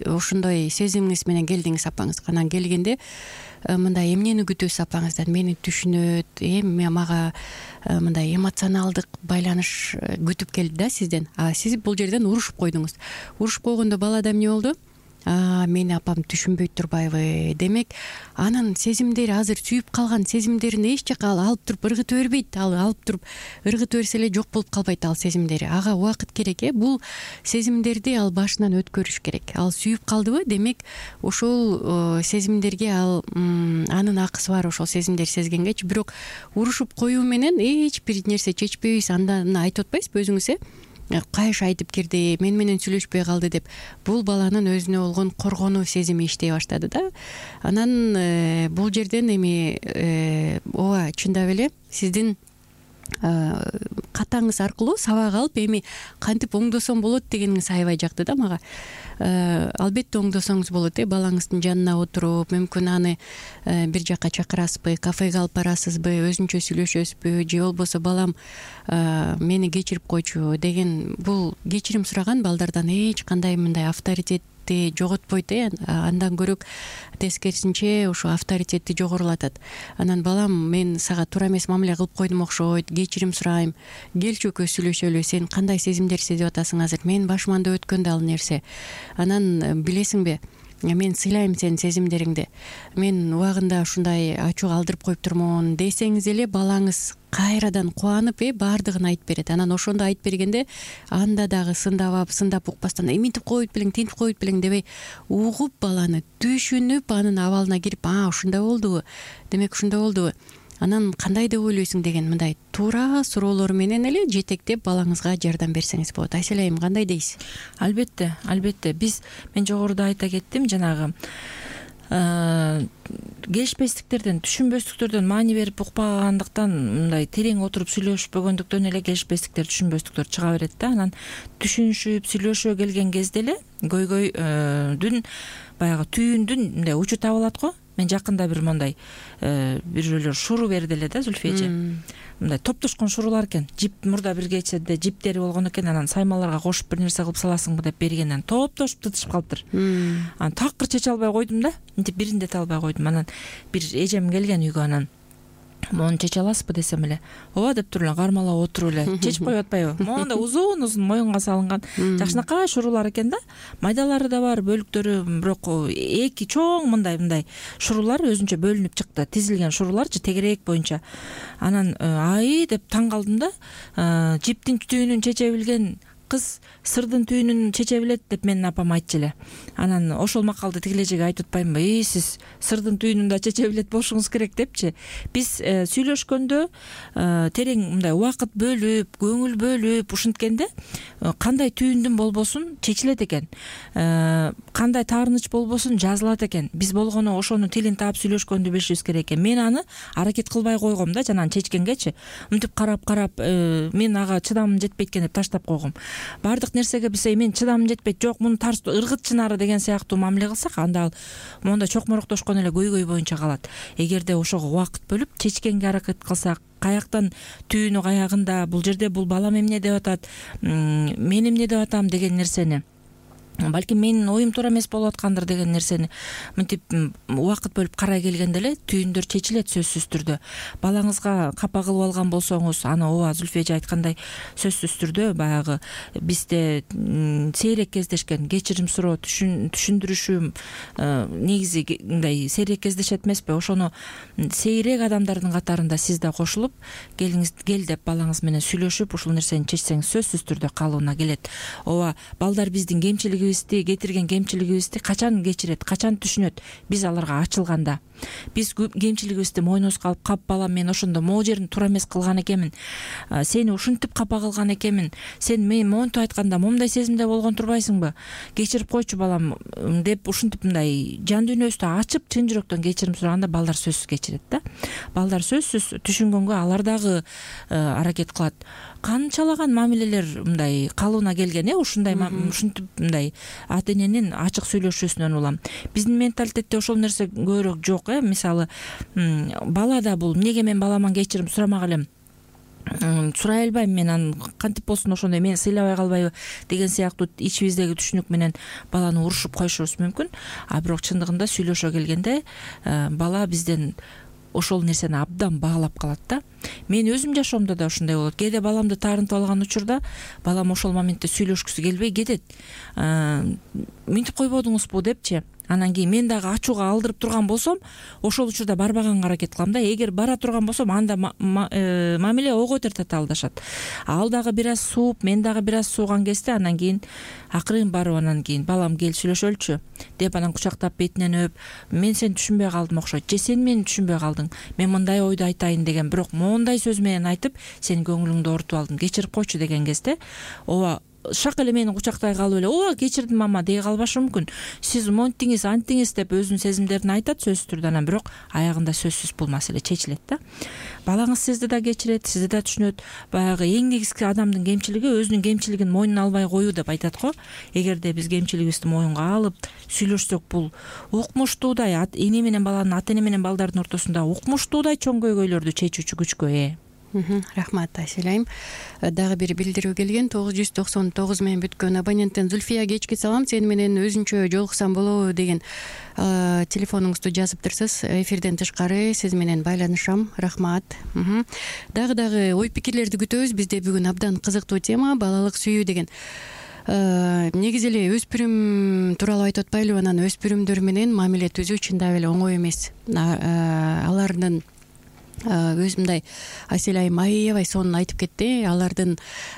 ошондой сезимиңиз менен келдиңиз апаңызга. Анан келгенде мындай эмнени күтөсүз апаңыздан? Мени түшүнөт, мага мындай эмоционалдык байланыш күтүп келди да сизден. Сиз бул жерден урушуп койдуңуз. Урушуп койгондо балада эмне болду? Мени апам түшүнбөйт турбайбы? Демек анын сезимдери азыр сүйүп калган сезимдерин эч жака алып туруп ыргыта бербейт. Ал алып туруп ыргыта берсе эле жок болуп калбайт ал сезимдери. Ага убакыт керек. Бул сезимдерди ал башынан өткөрүш керек. Ал сүйүп калдыбы? Демек ошол сезимдерге анын акысы бар. Ошол сезимдерди сезгенгечи. Бирок урушуп коюу менен эч бир нерсе чечпейбиз. Андан айтып атпайсызбы өзүңүз? Кайш айтып кирди, мен менен сүйлөшпөй калды деп. Бул баланын өзүнө болгон коргонуу сезими иштей баштады да. Анан бул жерден эми ооба чындап эле сиздин катаңыз аркылуу сабак алып эми кантип оңдосом болот дегениңиз аябай жакты да мага. Албетте оңдосоңуз болот. Балаңыздын жанына отуруп, мүмкүн аны бир жакка чакырасызбы, кафеге алып барасызбы, өзүнчө сүйлөшөсүзбү, же болбосо балам мени кечирип койчу деген бул кечирим сураган балдардан эч кандай мындай авторитетти жоготпойт. Андан көрөк тескерисинче ошо авторитетти жогорулатат. Анан балам, мен сага туура эмес мамиле кылып койдум окшойт, кечирим сурайм, келчи экөөбүз сүйлөшөлү, сен кандай сезимдер сезип атасың азыр, менин башыман да өткөн да ал нерсе. Анан билесиңби, мен сыйлайм сенин сезимдериңди, мен убагында ушундай ачууга алдырып коюп турмун десеңиз эле балаңыз кайрадан кубанып баардыгын айтып берет. Анан ошондо айтып бергенде анда дагы сындап укпастан мынтип коюп белең, тинтип коюп белең дебей, угуп баланы түшүнүп анын абалына кирип, ушундай болдубу, демек ушундай болдубу, анан кандай деп ойлойсуң деген мындай туура суроолор менен эле жетектеп балаңызга жардам берсеңиз болот. Айсел айым, кандай дейсиз? Албетте. Мен жогоруда айта кеттим, жанагы келишпестиктерден, түшүнбөстүктөрдөн маани берип укпагандыктан, мындай терең отуруп сүйлөшпөгөндүктөн эле келишпестиктер, түшүнбөстүктөр чыга берет да. Анан түшүнүшүп, сүйлөшө келген кезде эле көйгөйдүн баягы түйүндүн мындай учу табылат го. Мен жакында бир мондай бирөөлөр шуру берди эле да, Зүлфия эже. Мындай топтошкон шурулар экен. Жип мурда бир кечеде жиптери болгон экен. Анан саймаларга кошуп бир нерсе кылып саласыңбы деп бергенден топтошуп тытышып калыптыр. Анан такыр чече албай койдум да. Мынтип бирин дете албай койдум. Анан бир эжем келген үйгө, анан мону чече аласызбы десем эле, ооба деп туруп эле кармалап отуруп эле чечип коюп атпайбы? Мондай узун моюнга салынган жакшынакай шурулар экен да. Майдалары да бар, бөлүктөрү, бирок эки чоң мындай шурулар өзүнчө бөлүнүп чыкты. Тизилген шуруларчы тегерек боюнча. Анан деп таң калдым да. Жиптин түйүнүн чече билген кыз сырдын түйүнүн чече билет деп менин апам айтчу эле. Анан ошол макалды тигилежеге айтып атпаймынбы? Сиз сырдын түйүнүн да чече билет болушуңуз керек депчи. Биз сүйлөшкөндө терең мындай убакыт бөлүп, көңүл бөлүп ушинткенде кандай түйүндүн болбосун чечилет экен. Кандай таарыныч болбосун жазылат экен. Биз болгону ошонун тилин таап сүйлөшкөндү билишибиз керек экен. Мен аны аракет кылбай койгом да, жанагы чечкенгечи. Мынтип карап мен ага чыдамым жетпейт экен деп таштап койгом. Баардык нерсеге биз мен чыдамым жетпейт, жок муну тарс ыргытчынары деген сыяктуу мамиле кылсак, анда ал монда чокмороктошкон эле көйгөй боюнча калат. Эгерде ошого убакыт бөлүп чечкенге аракет кылсак, каяктан түйүнү каягында, бул жерде бул балам эмне деп атат, мен эмне деп атам деген нерсени, балким менин оюм туура эмес болуп аткандыр деген нерсени мынтип убакыт бөлүп карай келгенде эле түйүндөр чечилет сөзсүз түрдө. Балаңызга капа кылып алган болсоңуз, аны ооба Зүлфия эже айткандай сөзсүз түрдө баягы бизде сейрек кездешкен кечирим суроо, түшүндүрүшү негизи мындай сейрек кездешет эмеспи? Ошону сейрек адамдардын катарында сиз да кошулуп, кел деп балаңыз менен сүйлөшүп, ушул нерсени чечсеңиз сөзсүз түрдө калыбына келет. Ооба, балдар биздин кетирген кемчилигибизди качан кечирет, качан түшүнөт? Биз аларга ачылганда. Биз кемчилигибизди мойнубузга алып, кап балам, мен ошондо могу жерин туура эмес кылган экенмин, сени ушинтип капа кылган экенмин, сен мен монтип айтканда момундай сезимде болгон турбайсыңбы, кечирип койчу балам деп ушинтип мындай жан дүйнөбүздү ачып чын жүрөктөн кечирим сураганда балдар сөзсүз кечирет да. Балдар сөзсүз түшүнгөнгө алар дагы аракет кылат. Канчалаган мамилелер мындай калыбына келген, ушундай ушинтип мындай ата эненин ачык сүйлөшүүсүнөн улам. Биздин менталитетте ошол нерсе көбүрөөк жок. Мисалы, балада бул эмнеге мен баламан кечирим сурамак элем? сурай албайм мен анан кантип болсун ошондой мени сыйлабай калбайбы деген сыяктуу ичибиздеги түшүнүк менен баланы урушуп коюшубуз мүмкүн. А бирок чындыгында сүйлөшө келгенде бала бизден ошол нерсени абдан баалап калат да. Мен өзүм жашоомдо да ушундай болот. Кээде баламды таарынтып алган учурда балам ошол моментте сүйлөшкүсү келбей кетет. Мынтип койбодуңузбу депчи. Анан кийин мен дагы ачууга алдырып турган болсом, ошол учурда барбаганга аракет кылам да. Эгер бара турган болсом, анда мамиле ойго тарталдашат. Ал дагы бир аз сууп, мен дагы бир аз сууган кезде анан кийин акырын барып анан кийин балам кел сүйлөшөлүчү деп анан кучактап бетинен өп, мен сени түшүнбөй калдым окшойт, же сен мени түшүнбөй калдың, мен мындай ойду айтайын деген, бирок моундай сөз менен айтып сенин көңүлүңдү оорутуп алдым, кечирип койчу деген кезде ооба шак эле мени кучактай калып эле ооба кечирдим мама дей калбашы мүмкүн. Сиз монтиңиз антиңиз деп өзүнүн сезимдерин айтат сөзсүз түрдө, анан бирок аягында сөзсүз бул маселе чечилет да. Балаңыз сизди да кечирет, сизди да түшүнөт. Баягы эң негизги адамдын кемчилиги өзүнүн кемчилигин мойнуна албай коюу деп айтат го. Эгерде биз кемчилигибизди мойнга алып сүйлөшсөк, бул укмуштуудай эне менен баланын, ата эне менен балдардын ортосунда укмуштуудай чоң көйгөйлөрдү чечүүчү күчкө ээ. Рахмат Айсель айым. Дагы бир билдирүү келген. 999 менен бүткөн абоненттен Зульфия, кечки салам, сени менен өзүнчө жолуксам болобу деген телефонуңузду жазыптырсыз. Эфирден тышкары сиз менен байланышам. Рахмат. Дагы ой пикирлерди күтөбүз. Бизде бүгүн абдан кызыктуу тема балалык сүйүү деген. Негизи эле өспүрүм тууралуу айтып атпайлыбы? Анан өспүрүмдөр менен мамиле түзүү чындап эле оңой эмес. Алардын өзү мындай Айсель айым аябай сонун айтып кетти. Алардын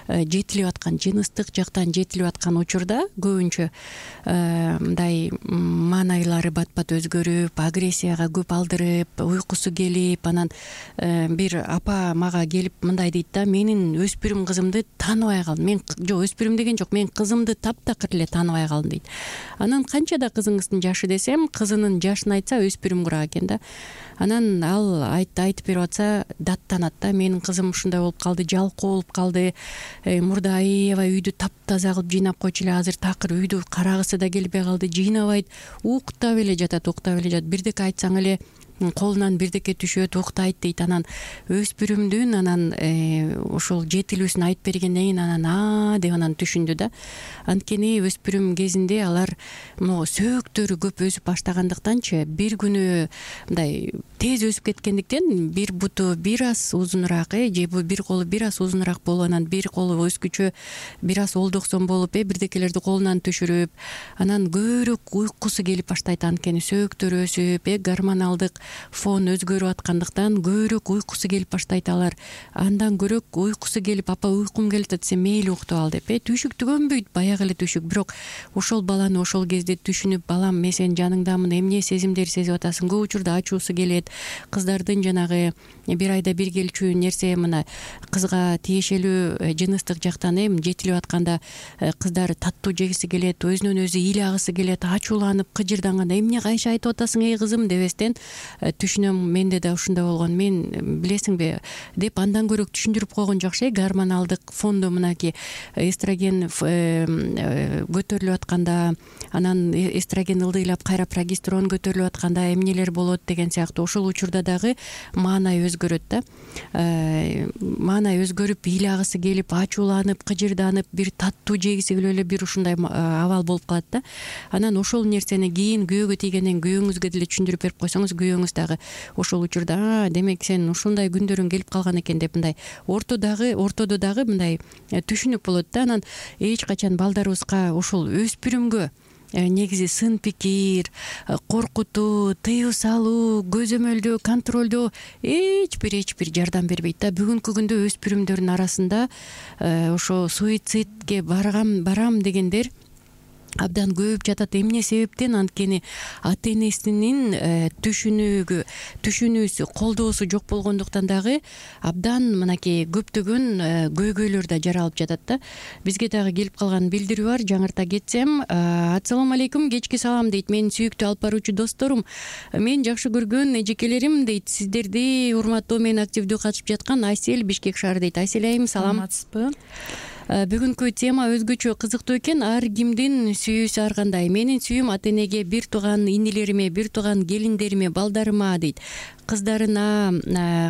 жетилип аткан, жыныстык жактан жетилип аткан учурда көбүнчө мындай маанайлары бат-бат өзгөрүп, агрессияга көп алдырып, уйкусу келип, анан бир апа мага келип мындай дейт да: менин өспүрүм кызымды тааныбай калдым. Мен жок, өспүрүм деген жок, мен кызымды таптакыр эле тааныбай калдым дейт. Анан канчада кызыңыздын жашы десем, кызынын жашын айтса өспүрүм курак экен да. Анан ал айтып берип атса даттанат да: менин кызым ушундай болуп калды, жалкоо болуп калды, мурда аябай үйдү таптаза кылып жыйнап койчу эле, азыр такыр үйдү карагысы да келбей калды, жыйнабайт, уктап эле жатат. Бирдеке айтсаң эле колунан бирдеке түшөт, уктайт дейт. Анан өспүрүмдүн анан ошол жетилүүсүн айтып бергенден кийин анан деп анан түшүндү да. Анткени өспүрүм кезинде алар могу сөөктөрү көп өсүп баштагандыктанчы, бир күнү мындай тез өсүп кеткендиктен бир буту бир аз узунураак, же бир колу бир аз узунураак болуп, анан бир колу өскүчө бир аз олдоксон болуп, бирдекелерди колунан түшүрүп, анан көбүрөөк уйкусу келип баштайт. Анткени сөөктөр өсүп, гормоналдык фон өзгөрүп аткандыктан көбүрөөк уйкусу келип баштайт. Алар андан көрөк уйкусу келип, апа уйкум келип атат, сен мейли уктап ал деп, түшүк түгөнбөйт, баягы эле түшүк. Бирок ошол баланы ошол кезде түшүнүп, балам мен сенин жаныңдамын, эмне сезимдер сезип атасың, көп учурда ачуусу келет. Кыздардын жанагы бир айда бир келчү нерсе, мына кызга тиешелүү жыныстык жактан жетилип атканда кыздар таттуу жегиси келет, өзүнөн өзү ыйлагысы келет, ачууланып кыжырданганда эмне кайша айтып атасың эй кызым дебестен түшүнөм, менде да ушундай болгон, мен билесиңби деп андан көрөк түшүндүрүп койгон жакшы. Гормоналдык фондо мынакей эстроген көтөрүлүп атканда, анан эстроген ылдыйлап кайра прогестерон көтөрүлүп атканда эмнелер болот деген сыяктуу. Ошол учурда дагы маанай өзгөрөт да. Маанай өзгөрүп, ыйлагысы келип, ачууланып, кыжырданып, бир таттуу жегиси келип эле бир ушундай абал болуп калат да. Анан ошол нерсени кийин күйөөгө тийгенден күйөөңүзгө деле түшүндүрүп берип койсоңуз, күйөөңүз дагы ошол учурда демек сен ушундай күндөрүң келип калган экен деп мындай ортодо дагы мындай түшүнүк болот да. Анан эч качан балдарыбызга ошол өспүрүмгө негизи сын пикир, коркутуу, тыюу салуу, көзөмөлдөө, контролдоо эч бир жардам бербейт да. Бүгүнкү күндө өспүрүмдөрдүн арасында ошо суицидке барам дегендер абдан көп жатат. Эмне себептен? Анткени ата энесинин түшүнүүсү, колдоосу жок болгондуктан дагы абдан мынакей көптөгөн көйгөйлөр да жаралып жатат да. Бизге дагы келип калган билдирүү бар, жаңырта кетсем. Ассалам алейкум, кечки салам дейт. Менин сүйүктүү алып баруучу досторум, мен жакшы көргөн эжекелерим дейт. Сиздерди урматтоо менен активдүү катышып жаткан Айсель, Бишкек шаары дейт. Айсель айым, салам. Саламатсызбы? Бүгүнкү тема өзгөчө кызыктуу экен. Ар кимдин сүйүүсү ар кандай. Менин сүйүүм ата энеге, бир тууган инилериме, бир тууган келиндериме, балдарыма дейт. Кыздарына,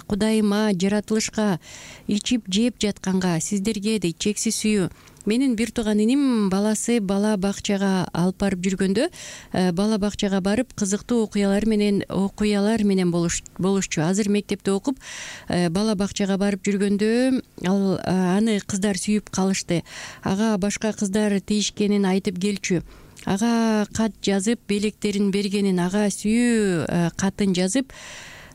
Кудайыма, жаратылышка, ичип жеп жатканга, сиздерге дейт чексиз сүйүү. Менин бир тууган иним баласы бала бакчага алып барып жүргөндө, бала бакчага барып кызыктуу окуялар менен болушчу. Азыр мектепте окуп, бала бакчага барып жүргөндө аны кыздар сүйүп калышты. Ага башка кыздар тийишкенин айтып келчү. Ага кат жазып белектерин бергенин, ага сүйүү катын жазып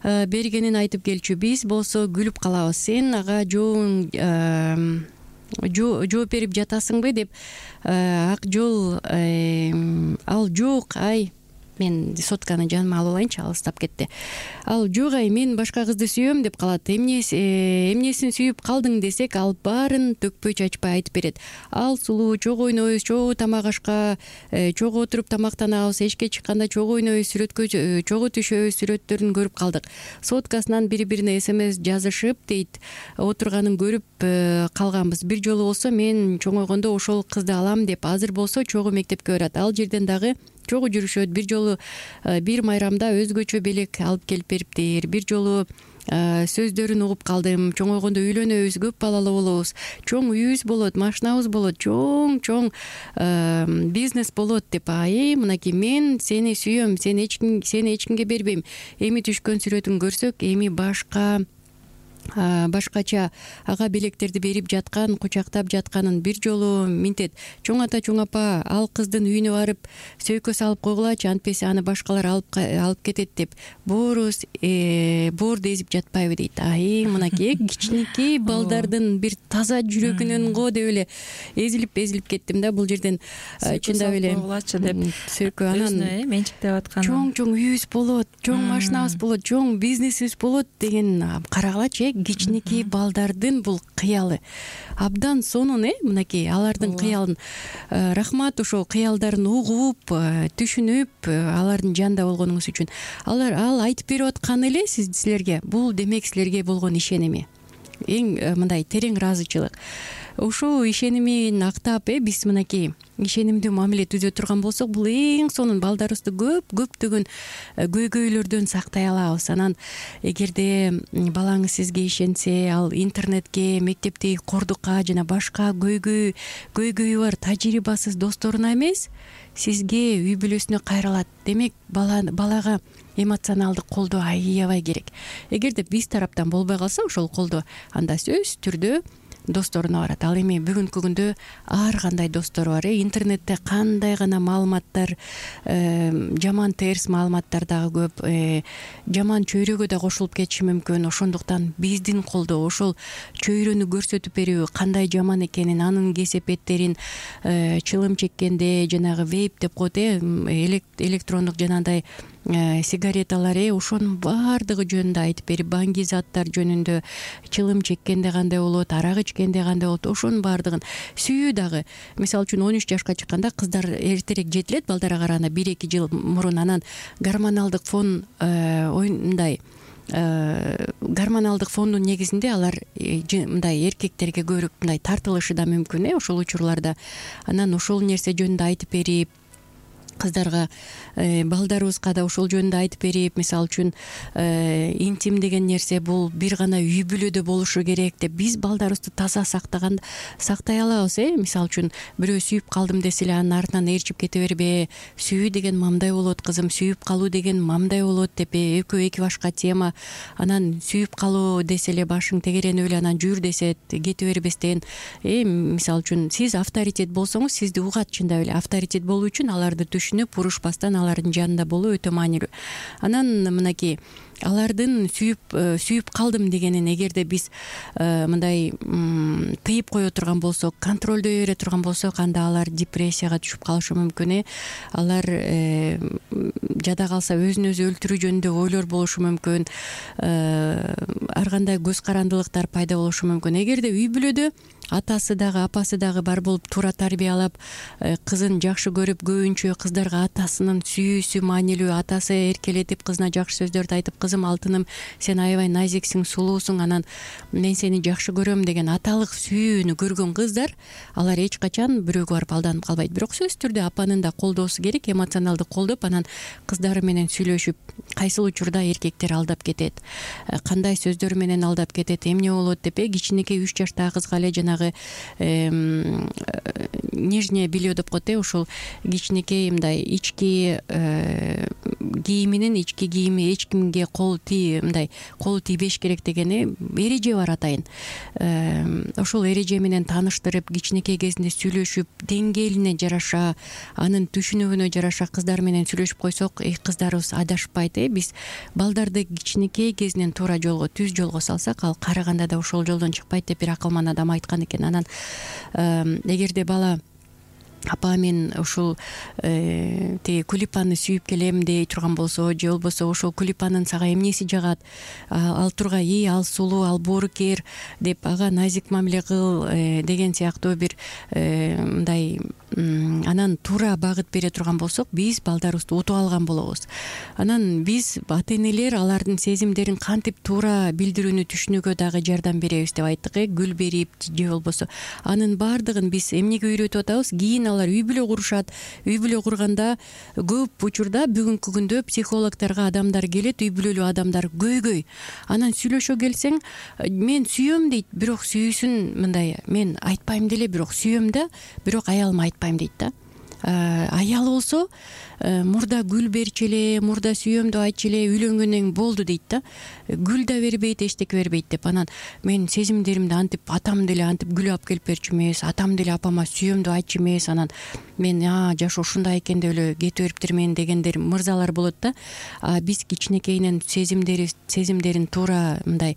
бергенин айтып келчү. Биз болсо күлүп калабыз. Сен ага жооп берип жатасыңбы деп. Ак жол ал жок, ай мен сотканы жаныма алып алайынчы, алыстап кетти. Ал жок, ай мен башка кызды сүйөм деп калат. Эмнесин сүйүп калдың десек, ал баарын төкпөй чачпай айтып берет. Ал сулуу, чогуу ойнойбуз, чогуу тамак ашка, чогуу отуруп тамактанабыз, эшикке чыкканда чогуу ойнойбуз, сүрөткө чогуу түшөбүз, сүрөттөрүн көрүп калдык. Соткасынан бири-бирине СМС жазышып дейт, отурганын көрүп калганбыз. Бир жолу болсо мен чоңойгондо ошол кызды алам деп, азыр болсо чогуу мектепке барат. Ал жерден дагы чогуу жүрүшөт. Бир жолу бир майрамда өзгөчө белек алып келип бериптир. Бир жолу сөздөрүн угуп калдым. Чоңойгондо үйлөнөбүз, көп балалуу болобуз, чоң үйүбүз болот, машинабыз болот, чоң бизнес болот деп. Мынакей мен сени сүйөм, сени эч кимге бербейм. Эми түшкөн сүрөтүн көрсөк, эми башкача ага белектерди берип жаткан, кучактап жатканын бир жолу минтет. Чоң ата, чоң апа, ал кыздын үйүнө барып сөйкө салып койгулачы, антпесе аны башкалар алып кетет деп. Боорубуз боорду эзип жатпайбы дейт. Мынакей кичинекей балдардын бир таза жүрөгүнөн го деп эле эзилип кеттим да бул жерден. Чындап эле койгулачы деп сөйкө, анан менчиктеп аткан. Чоң үйүбүз болот, чоң машинабыз болот, чоң бизнесибиз болот деген карагылачы. Кичинекей балдардын бул кыялы абдан сонун, мынакей алардын кыялын. Рахмат ошол кыялдарын угуп, түшүнүп, алардын жанында болгонуңуз үчүн. Ал айтып берип атканы эле силерге, бул демек силерге болгон ишеними, эң мындай терең ыраазычылык. Ушул ишенимин актап, биз мынакей ишенимдүү мамиле түзө турган болсок, бул эң сонун балдарыбызды көптөгөн көйгөйлөрдөн сактай алабыз. Анан эгерде балаңыз сизге ишенсе, ал интернетке, мектептеги кордукка жана башка көйгөйү бар тажрыйбасыз досторуна эмес, сизге, үй бүлөсүнө кайрылат. Демек балага эмоционалдык колдоо аябай керек. Эгерде биз тараптан болбой калса ошол колдоо, анда сөзсүз түрдө досторуна барат. Ал эми бүгүнкү күндө ар кандай достор бар. Интернетте кандай гана маалыматтар, жаман терс маалыматтар дагы көп, жаман чөйрөгө да кошулуп кетиши мүмкүн. Ошондуктан биздин колдоо, ошол чөйрөнү көрсөтүп берүү кандай жаман экенин, анын кесепеттерин, чылым чеккенде жанагы вейп деп коет, электрондук жанагындай сигареталар, ошонун баардыгы жөнүндө айтып берип, баңги заттар жөнүндө, чылым чеккенде кандай болот, арак ичкенде кандай болот, ошонун баардыгын. Сүйүү дагы, мисалы үчүн 13 жашка чыкканда кыздар эртерээк жетилет балдарга караганда 1-2 жыл мурун. Анан гормоналдык фон гормоналдык фондун негизинде алар мындай эркектерге көбүрөөк мындай тартылышы да мүмкүн ошол учурларда. Анан ошол нерсе жөнүндө айтып берип, кыздарга, балдарыбызга да ошол жөнүндө айтып берип, мисалы үчүн интим деген нерсе бул бир гана үй бүлөдө болушу керек деп биз балдарыбызды таза сактай алабыз. Мисалы үчүн бирөө сүйүп калдым десе эле анын артынан ээрчип кете бербе, сүйүү деген мамдай болот кызым, сүйүп калуу деген мамдай болот деп, экөө эки башка тема. Анан сүйүп калуу десе эле башың тегеренип эле анан жүр десе кете бербестен, мисалы үчүн сиз авторитет болсоңуз сизди угат. Чындап эле авторитет болуу үчүн аларды түшүнүп, урушпастан алардын жанында болуу өтө маанилүү. Анан мынакей алардын сүйүп калдым дегенин эгерде биз мындай тыйып кое турган болсок, контролдой бере турган болсок, анда алар депрессияга түшүп калышы мүмкүн. Алар жада калса өзүн өзү өлтүрүү жөнүндө ойлор болушу мүмкүн. Ар кандай көз карандылыктар пайда болушу мүмкүн. Эгерде үй бүлөдө атасы дагы апасы дагы бар болуп туура тарбиялап, кызын жакшы көрүп, көбүнчө кыздарга атасынын сүйүүсү маанилүү, атасы эркелетип кызына жакшы сөздөрдү айтып, кызы кызым, алтыным, сен аябай назиксиң, сулуусуң, анан мен сени жакшы көрөм деген аталык сүйүүнү көргөн кыздар, алар эч качан бирөөгө барып алданып калбайт. Бирок сөзсүз түрдө апанын да колдоосу керек, эмоционалдык колдоп, анан кыздары менен сүйлөшүп, кайсыл учурда эркектер алдап кетет, кандай сөздөр менен алдап кетет, эмне болот деп, кичинекей 3 жаштагы кызга эле жанагы нижнее белье деп коет, ушул кичинекей мындай ички кийиминин ички кийими эч кимге колу тийбеш керек деген эреже бар атайын. Ошол эреже менен тааныштырып, кичинекей кезинде сүйлөшүп, деңгээлине жараша, анын түшүнүгүнө жараша кыздар менен сүйлөшүп койсок, кыздарыбыз адашпайт. Биз балдарды кичинекей кезинен туура жолго, түз жолго салсак, ал карыганда да ошол жолдон чыкпайт деп бир акылман адам айткан экен. Анан эгерде бала апа мен ушул тиги кулипаны сүйүп келем дей турган болсо, же болбосо ошол кулипанын сага эмнеси жагат, ал тургай ал сулуу, ал боорукер деп ага назик мамиле кыл деген сыяктуу бир мындай анан туура багыт бере турган болсок, биз балдарыбызды утуп алган болобуз. Анан биз ата энелер алардын сезимдерин кантип туура билдирүүнү түшүнүүгө дагы жардам беребиз деп айттык, гүл берип же болбосо анын баардыгын биз эмнеге үйрөтүп атабыз? Кийин алар үй бүлө курушат. Үй бүлө курганда көп учурда бүгүнкү күндө психологторго адамдар келет, үй бүлөлүү адамдар көйгөй. Анан сүйлөшө келсең, мен сүйөм дейт, бирок сүйүүсүн мындай, мен айтпайм деле, бирок сүйөм да, бирок аялыма айтпайм дейт да. Аялы болсо мурда гүл берчи эле, мурда сүйөм деп айтчу эле, үйлөнгөндөн болду дейт да. Гүл да бербейт, эчтеке бербейт деп. Анан мен сезимдеримди антип атам деле антип гүл алып келип берчү эмес, атам деле апама сүйөм деп айтчу эмес, анан мен жашоо ушундай экен деп эле кетип бериптирмин дегендер мырзалар болот да. Биз кичинекейинен сезимдерин туура мындай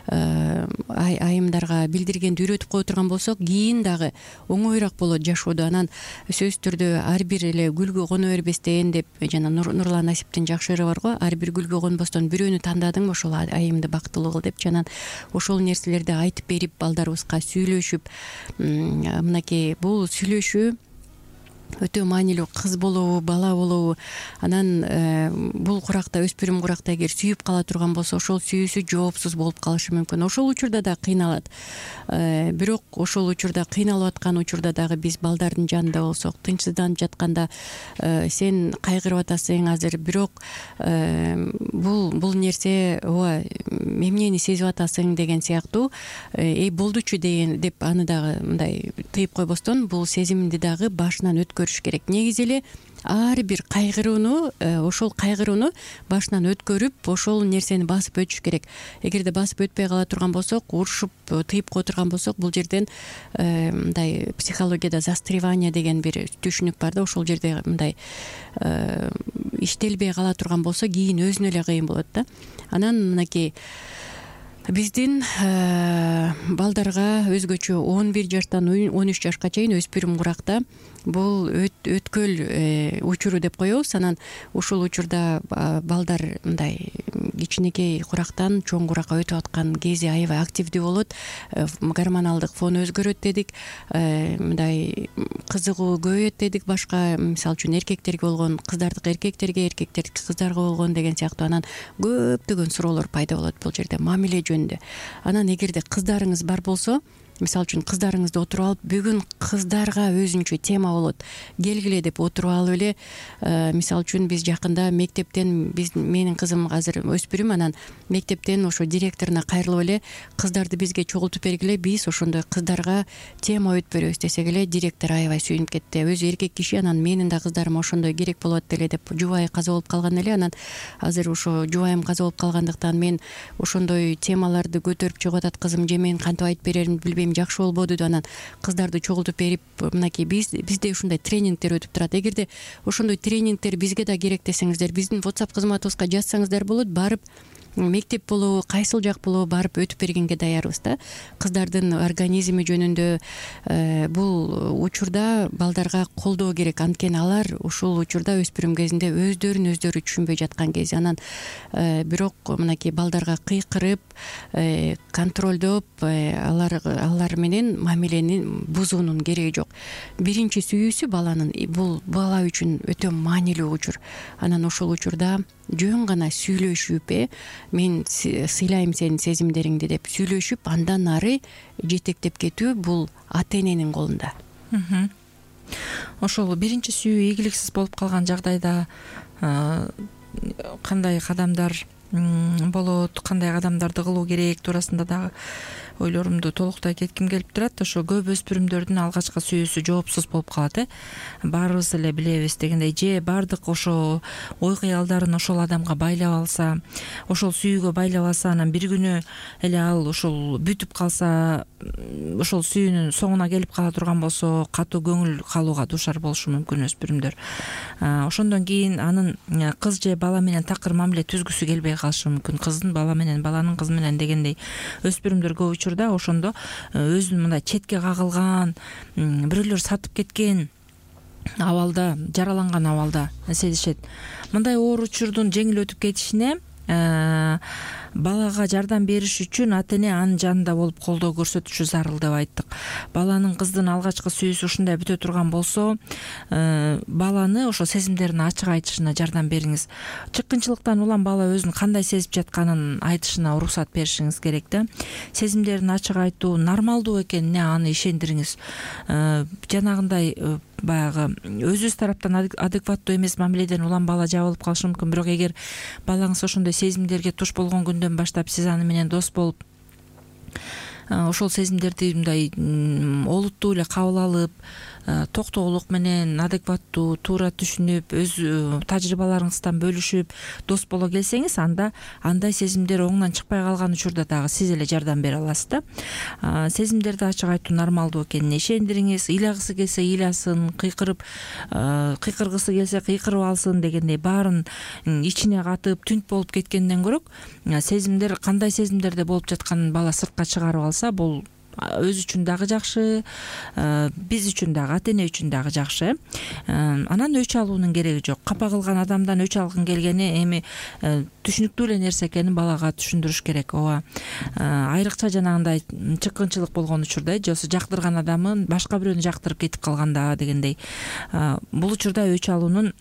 айымдарга билдиргенди үйрөтүп кое турган болсок, кийин дагы оңоюраак болот жашоодо. Анан сөзсүз түрдө ар бир эле гүлгө коно бербестен деп жана Нурлан Насиптин жакшы ыры бар го, ар бир гүлгө конбостон бирөөнү тандадың, ошол айымды бактылуу кыл деп. Анан ошол нерселерди айтып берип, балдарыбызга сүйлөшүп, мынакей бул сүйлөшүү өтө маанилүү. Кыз болобу, бала болобу, анан бул куракта, өспүрүм куракта эгер сүйүп кала турган болсо, ошол сүйүүсү жоопсуз болуп калышы мүмкүн. Ошол учурда да кыйналат. Бирок ошол учурда кыйналып аткан учурда дагы биз балдардын жанында болсок, тынчсызданып жатканда сен кайгырып атасың азыр, бирок бул нерсе ооба эмнени сезип атасың деген сыяктуу болдучу деп аны дагы мындай тыйып койбостон, бул сезимди дагы башынан өткөрүш керек. Негизи эле ар бир кайгырууну, ошол кайгырууну башынан өткөрүп, ошол нерсени басып өтүш керек. Эгерде басып өтпөй кала турган болсок, урушуп тыйып кое турган болсок, бул жерден мындай психологияда застревание деген бир түшүнүк бар да, ошол жерде мындай иштелбей кала турган болсо, кийин өзүнө эле кыйын болот да. Анан мынакей биздин балдарга өзгөчө 11 жаштан 13 жашка чейин өспүрүм куракта бул өткөл учуру деп коебуз. Анан ушул учурда балдар мындай кичинекей курактан чоң куракка өтүп аткан кези аябай активдүү болот. Гормоналдык фон өзгөрөт дедик, мындай кызыгуу көбөйөт дедик. Башка, мисалы үчүн эркектерге болгон кыздардыкы эркектерге, эркектердики кыздарга болгон деген сыяктуу. Анан көптөгөн суроолор пайда болот бул жерде мамиле жөнүндө. Анан эгерде кыздарыңыз бар болсо, мисалы үчүн кыздарыңызды отуруп алып, бүгүн кыздарга өзүнчө тема болот, келгиле деп отуруп алып эле, мисалы үчүн биз жакында мектептен, менин кызым азыр өспүрүм, анан мектептен ошо директоруна кайрылып эле, кыздарды бизге чогултуп бергиле, биз ошондой кыздарга тема өтүп беребиз десек эле, директор аябай сүйүнүп кетти. Өзү эркек киши, анан менин да кыздарыма ошондой керек болот эле деп жубайы каза болуп калган эле. Анан азыр ошо жубайым каза болуп калгандыктан мен ошондой темаларды көтөрүп чыгып атат кызым, же мен кантип айтып береримди билбейм, жакшы болбоду деп. Анан кыздарды чогултуп берип, мынакей бизде ушундай тренингдер өтүп турат. Эгерде ошондой тренингдер бизге да керек десеңиздер, биздин WhatsApp кызматыбызга жазсаңыздар болот. Барып мектеп болобу, кайсыл жак болобу, барып өтүп бергенге даярбыз да. Кыздардын организми жөнүндө бул учурда балдарга колдоо керек. Анткени алар ушул учурда өспүрүм кезинде өздөрүн өздөрү түшүнбөй жаткан кези. Анан бирок мынакей балдарга кыйкырып, контролдоп, алар менен мамилени бузуунун кереги жок. Биринчи сүйүүсү баланын, бул бала үчүн өтө маанилүү учур. Анан ошол учурда жөн гана сүйлөшүп, мен сыйлайм сенин сезимдериңди деп сүйлөшүп андан ары жетектеп кетүү бул ата эненин колунда. Ошол биринчи сүйүү ийгиликсиз болуп калган жагдайда кандай кадамдар болот, кандай кадамдарды кылуу керек туурасында дагы ойлорумду толуктай кетким келип турат. Ошо көп өспүрүмдөрдүн алгачкы сүйүүсү жоопсуз болуп калат, баарыбыз эле билебиз дегендей, же баардык ошо ой кыялдарын ошол адамга байлап алса, ошол сүйүүгө байлап алса, анан бир күнү эле ал ошол бүтүп калса, ошол сүйүүнүн соңуна келип кала турган болсо, катуу көңүл калууга дуушар болушу мүмкүн өспүрүмдөр. Ошондон кийин анын кыз же бала менен такыр мамиле түзгүсү келбей калышы мүмкүн. Кыздын бала менен, баланын кыз менен дегендей. Өспүрүмдөр көп учурда ошондо өзүн мындай четке кагылган, бирөөлөр сатып кеткен абалда, жараланган абалда сезишет. Мындай оор учурдун жеңил өтүп кетишине балага жардам бериш үчүн ата эне анын жанында болуп колдоо көрсөтүшү зарыл деп айттык. Баланын кыздын алгачкы сүйүүсү ушундай бүтө турган болсо, баланы ошо сезимдерин ачык айтышына жардам бериңиз. Чыккынчылыктан улам бала өзүн кандай сезип жатканын айтышына уруксат беришиңиз керек да. Сезимдерин ачык айтуу нормалдуу экенине аны ишендириңиз. Жанагындай баягы өзүбүз тараптан адекваттуу эмес мамиледен улам бала жабылып калышы мүмкүн. Бирок эгер балаңыз ошондой сезимдерге туш болгон күндөн баштап сиз аны менен дос болуп, ошол сезимдерди мындай олуттуу эле кабыл алып, токтоолук менен адекваттуу, туура түшүнүп, өз тажрыйбаларыңыздан бөлүшүп дос боло келсеңиз, анда андай сезимдер оңунан чыкпай калган учурда дагы сиз эле жардам бере аласыз да. Сезимдерди ачык айтуу нормалдуу экенине ишендириңиз. Ыйлагысы келсе ыйласын, кыйкыргысы келсе кыйкырып алсын дегендей, баарын ичине катып түнт болуп кеткенден көрөк, сезимдер кандай сезимдерде болуп жатканын бала сыртка чыгарып алса, бул өзү үчүн дагы жакшы, биз үчүн дагы, ата эне үчүн дагы жакшы. Анан өч алуунун кереги жок. Капа кылган адамдан өч алгың келгени эми түшүнүктүү эле нерсе экенин балага түшүндүрүш керек. Ооба, айрыкча жанагындай чыккынчылык болгон учурда, же жактырган адамын башка бирөөнү жактырып кетип калганда дегендей, бул учурда өч алуунун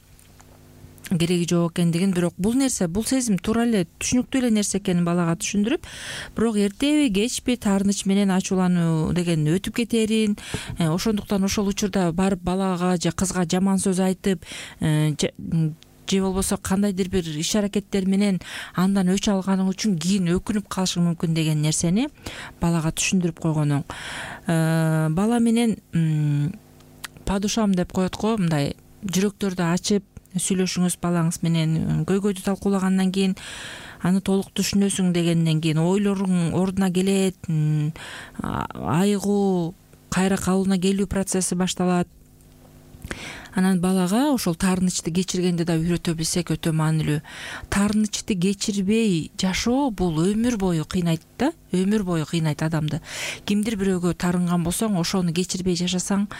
кереги жок экендигин, бирок бул нерсе, бул сезим туура эле түшүнүктүү эле нерсе экенин балага түшүндүрүп, бирок эртеби кечпи таарыныч менен ачуулануу деген өтүп кетерин, ошондуктан ошол учурда барып балага же кызга жаман сөз айтып, же болбосо кандайдыр бир иш аракеттер менен андан өч алганың үчүн кийин өкүнүп калышың мүмкүн деген нерсени балага түшүндүрүп койгон оң. Бала менен падушам деп коет го, мындай жүрөктөрдү ачып сүйлөшүңүз балаңыз менен, көйгөйдү талкуулагандан кийин аны толук түшүнөсүң дегенден кийин ойлоруң ордуна келет, айыгуу, кайра калыбына келүү процесси башталат. Анан балага ошол таарынычты кечиргенди да үйрөтө билсек өтө маанилүү. Таарынычты кечирбей жашоо бул өмүр бою кыйнайт да, өмүр бою кыйнайт адамды. Кимдир бирөөгө таарынган болсоң, ошону кечирбей жашасаң,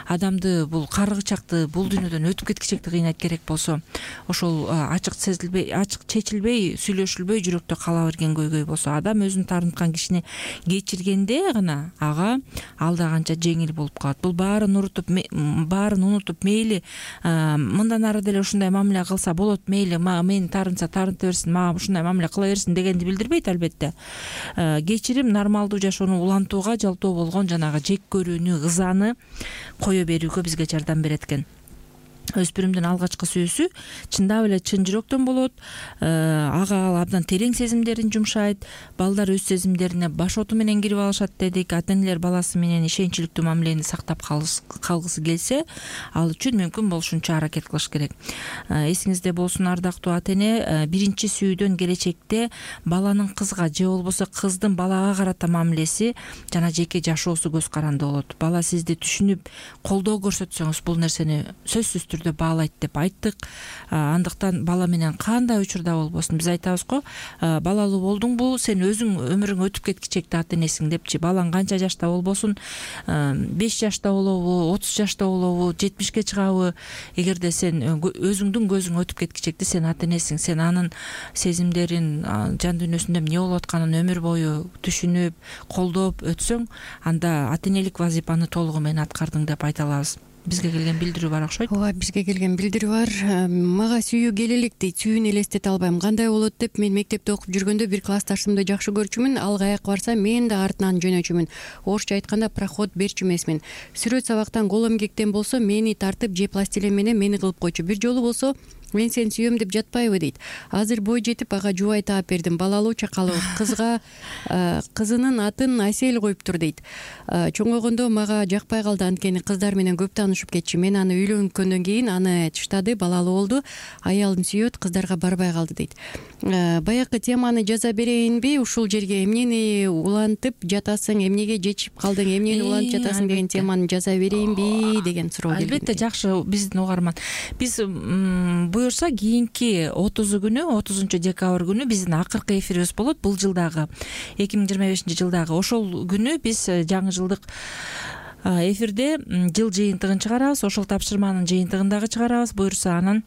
адамды бул каргычакты, бул дүйнөдөн өтүп кеткичекти кыйнайт. Керек болсо ошол ачык сезилбей, ачык чечилбей, сүйлөшүлбөй жүрөктө кала берген көйгөй болсо, адам өзүн таарынткан кишини кечиргенде гана ага алда канча жеңил болуп калат. Бул баарын унутуп мейли мындан ары деле ушундай мамиле кылса болот, мейли мени таарынса таарынта берсин, мага ушундай мамиле кыла берсин дегенди билдирбейт албетте. Кечирим нормалдуу жашоону улантууга, жалпоо болгон жанагы жек көрүүнү, ызаны кое берүүгө бизге жардам берет экен. Өспүрүмдүн алгачкы сүйүүсү чындап эле чын жүрөктөн болот. Ага ал абдан терең сезимдерин жумшайт. Балдар өз сезимдерине башоту менен кирип алышат дедик. Ата-энелер баласы менен ишеничиликтүү мамилени сактап калгысы келсе, ал үчүн мүмкүн болушунча аракет кылыш керек. Эсиңизде болсун, ардактуу ата-эне, биринчи сүйүүдөн келечекте баланын кызга же болбосо кыздын балага карата мамилеси жана жеке жашоосу көз каранды болот. Бала сизди түшүнүп, колдоо көрсөтсөңүз, бул нерсени сөзсүз түрдө баалайт деп айттык. Андыктан бала менен кандай учурда болбосун биз айтабыз го, балалуу болдуңбу, сен өзүң өмүрүң өтүп кеткичекти ата энесиң депчи. Балаң канча жашта болбосун, 5 жашта болобу, 30 жашта болобу, 70-ке чыгабы, эгерде сен өзүңдүн көзүң өтүп кеткичекти, сен ата энесиң, сен анын сезимдерин, жан дүйнөсүндө эмне болуп атканын өмүр бою түшүнүп, колдоп өтсөң, анда ата энелик вазифаны толугу менен аткардың деп айта алабыз. бизге келген билдирүү бар окшойт. ооба, бизге келген билдирүү бар. Мага сүйүү келе элек дейт, сүйүүнү элестете албайм. Кандай болот деп, мен мектепте окуп жүргөндө бир классташымды жакшы көрчүмүн, ал каяка барса мен да артынан жөнөчүмүн. Орусча айтканда проход берчү эмесмин. Сүрөт сабактан кол эмгектен болсо мени тартып же пластилин менен мени кылып койчу. Бир жолу болсо мен сени сүйөм деп жатпайбы дейт. Азыр бой жетип ага жубай таап бердим. Балалуу чакалуу кызга кызынын атын Асель коюптур дейт. Чоңойгондо мага жакпай калды, анткени кыздар менен көп таанышып кетчү. Мен аны үйлөнгөндөн кийин аны чыштады, балалуу болду. Аялын сүйөт, кыздарга барбай калды дейт. Баягы теманы жаза берейинби ушул жерге? Эмнени улантып жатасың, эмнеге жечип калдың, эмнени улантып жатасың деген теманы жаза берейинби деген суроо келген. Албетте, жакшы. Биздин угарман, биз буюрса кийинки 30 декабрь күнү биздин акыркы эфирибиз болот. Бул жылдагы 2025 жылдагы ошол күнү биз жаңы жылдык эфирде жыл жыйынтыгын чыгарабыз. Ошол тапшырманын жыйынтыгын дагы чыгарабыз. Буюрса анан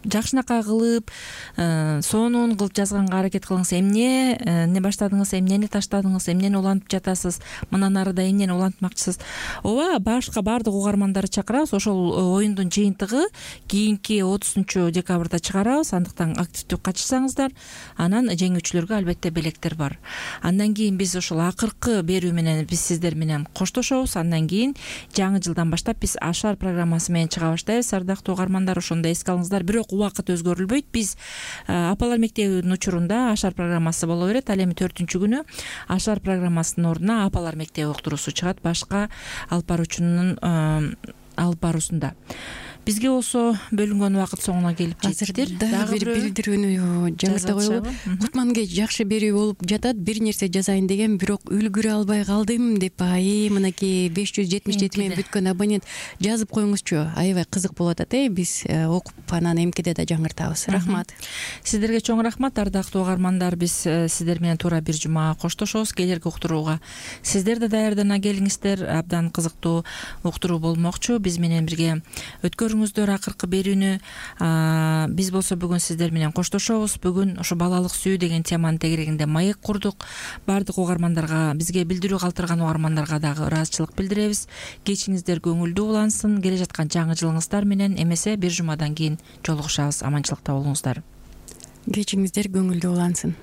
жакшынакай кылып, сонун кылып жазганга аракет кылыңыз. Эмне баштадыңыз, эмнени таштадыңыз, эмнени улантып жатасыз, мындан арыда эмнени улантмакчысыз. Ооба, башка баардык угармандарды чакырабыз. Ошол оюндун жыйынтыгы кийинки 30 декабрда чыгарабыз. Андыктан активдүү катышсаңыздар, анан жеңүүчүлөргө албетте белектер бар. Андан кийин биз ошол акыркы берүү менен биз сиздер менен коштошобуз. Андан кийин жаңы жылдан баштап биз Ашар программасы менен чыга баштайбыз. Ардактуу угармандар, ошондо эске алыңыздар. Бирок убакыт өзгөрүлбөйт. Биз апалар мектебинин учурунда Ашар программасы боло берет. Ал эми 4-күнү Ашар программасынын ордуна апалар мектеби уктуруусу чыгат, башка алып баруучунун алып баруусунда. Бизге болсо бөлүнгөн убакыт соңуна келип жетиптир. Дагы бир билдирүүнү жаңырта коелу. Кутманге жакшы берүү болуп жатат, бир нерсе жазайын деген, бирок үлгүрө албай калдым деп, мынакей 577 менен бүткөн абонент жазып коюңузчу. Аябай кызык болуп атат. Биз окуп анан эмкеде да жаңыртабыз. Рахмат. Сиздерге чоң рахмат, ардактуу угармандар. Биз сиздер менен туура бир жума коштошобуз. Келерки уктурууга сиздер да даярдана келиңиздер. Абдан кызыктуу уктуруу болмокчу. Биз менен бирге өткөрүңүздөр акыркы берүүнү. Биз болсо бүгүн сиздер менен коштошобуз. Бүгүн ошо балалык сүйүү деген теманын тегерегинде маек курдук. Баардык угармандарга, бизге билдирүү калтырган угармандарга дагы ыраазычылык билдиребиз. Кечиңиздер көңүлдүү улансын. Келе жаткан жаңы жылыңыздар менен эмесе бир жумадан кийин жолугушабыз. Аманчылыкта болуңуздар. Кечиңиздер көңүлдүү улансын.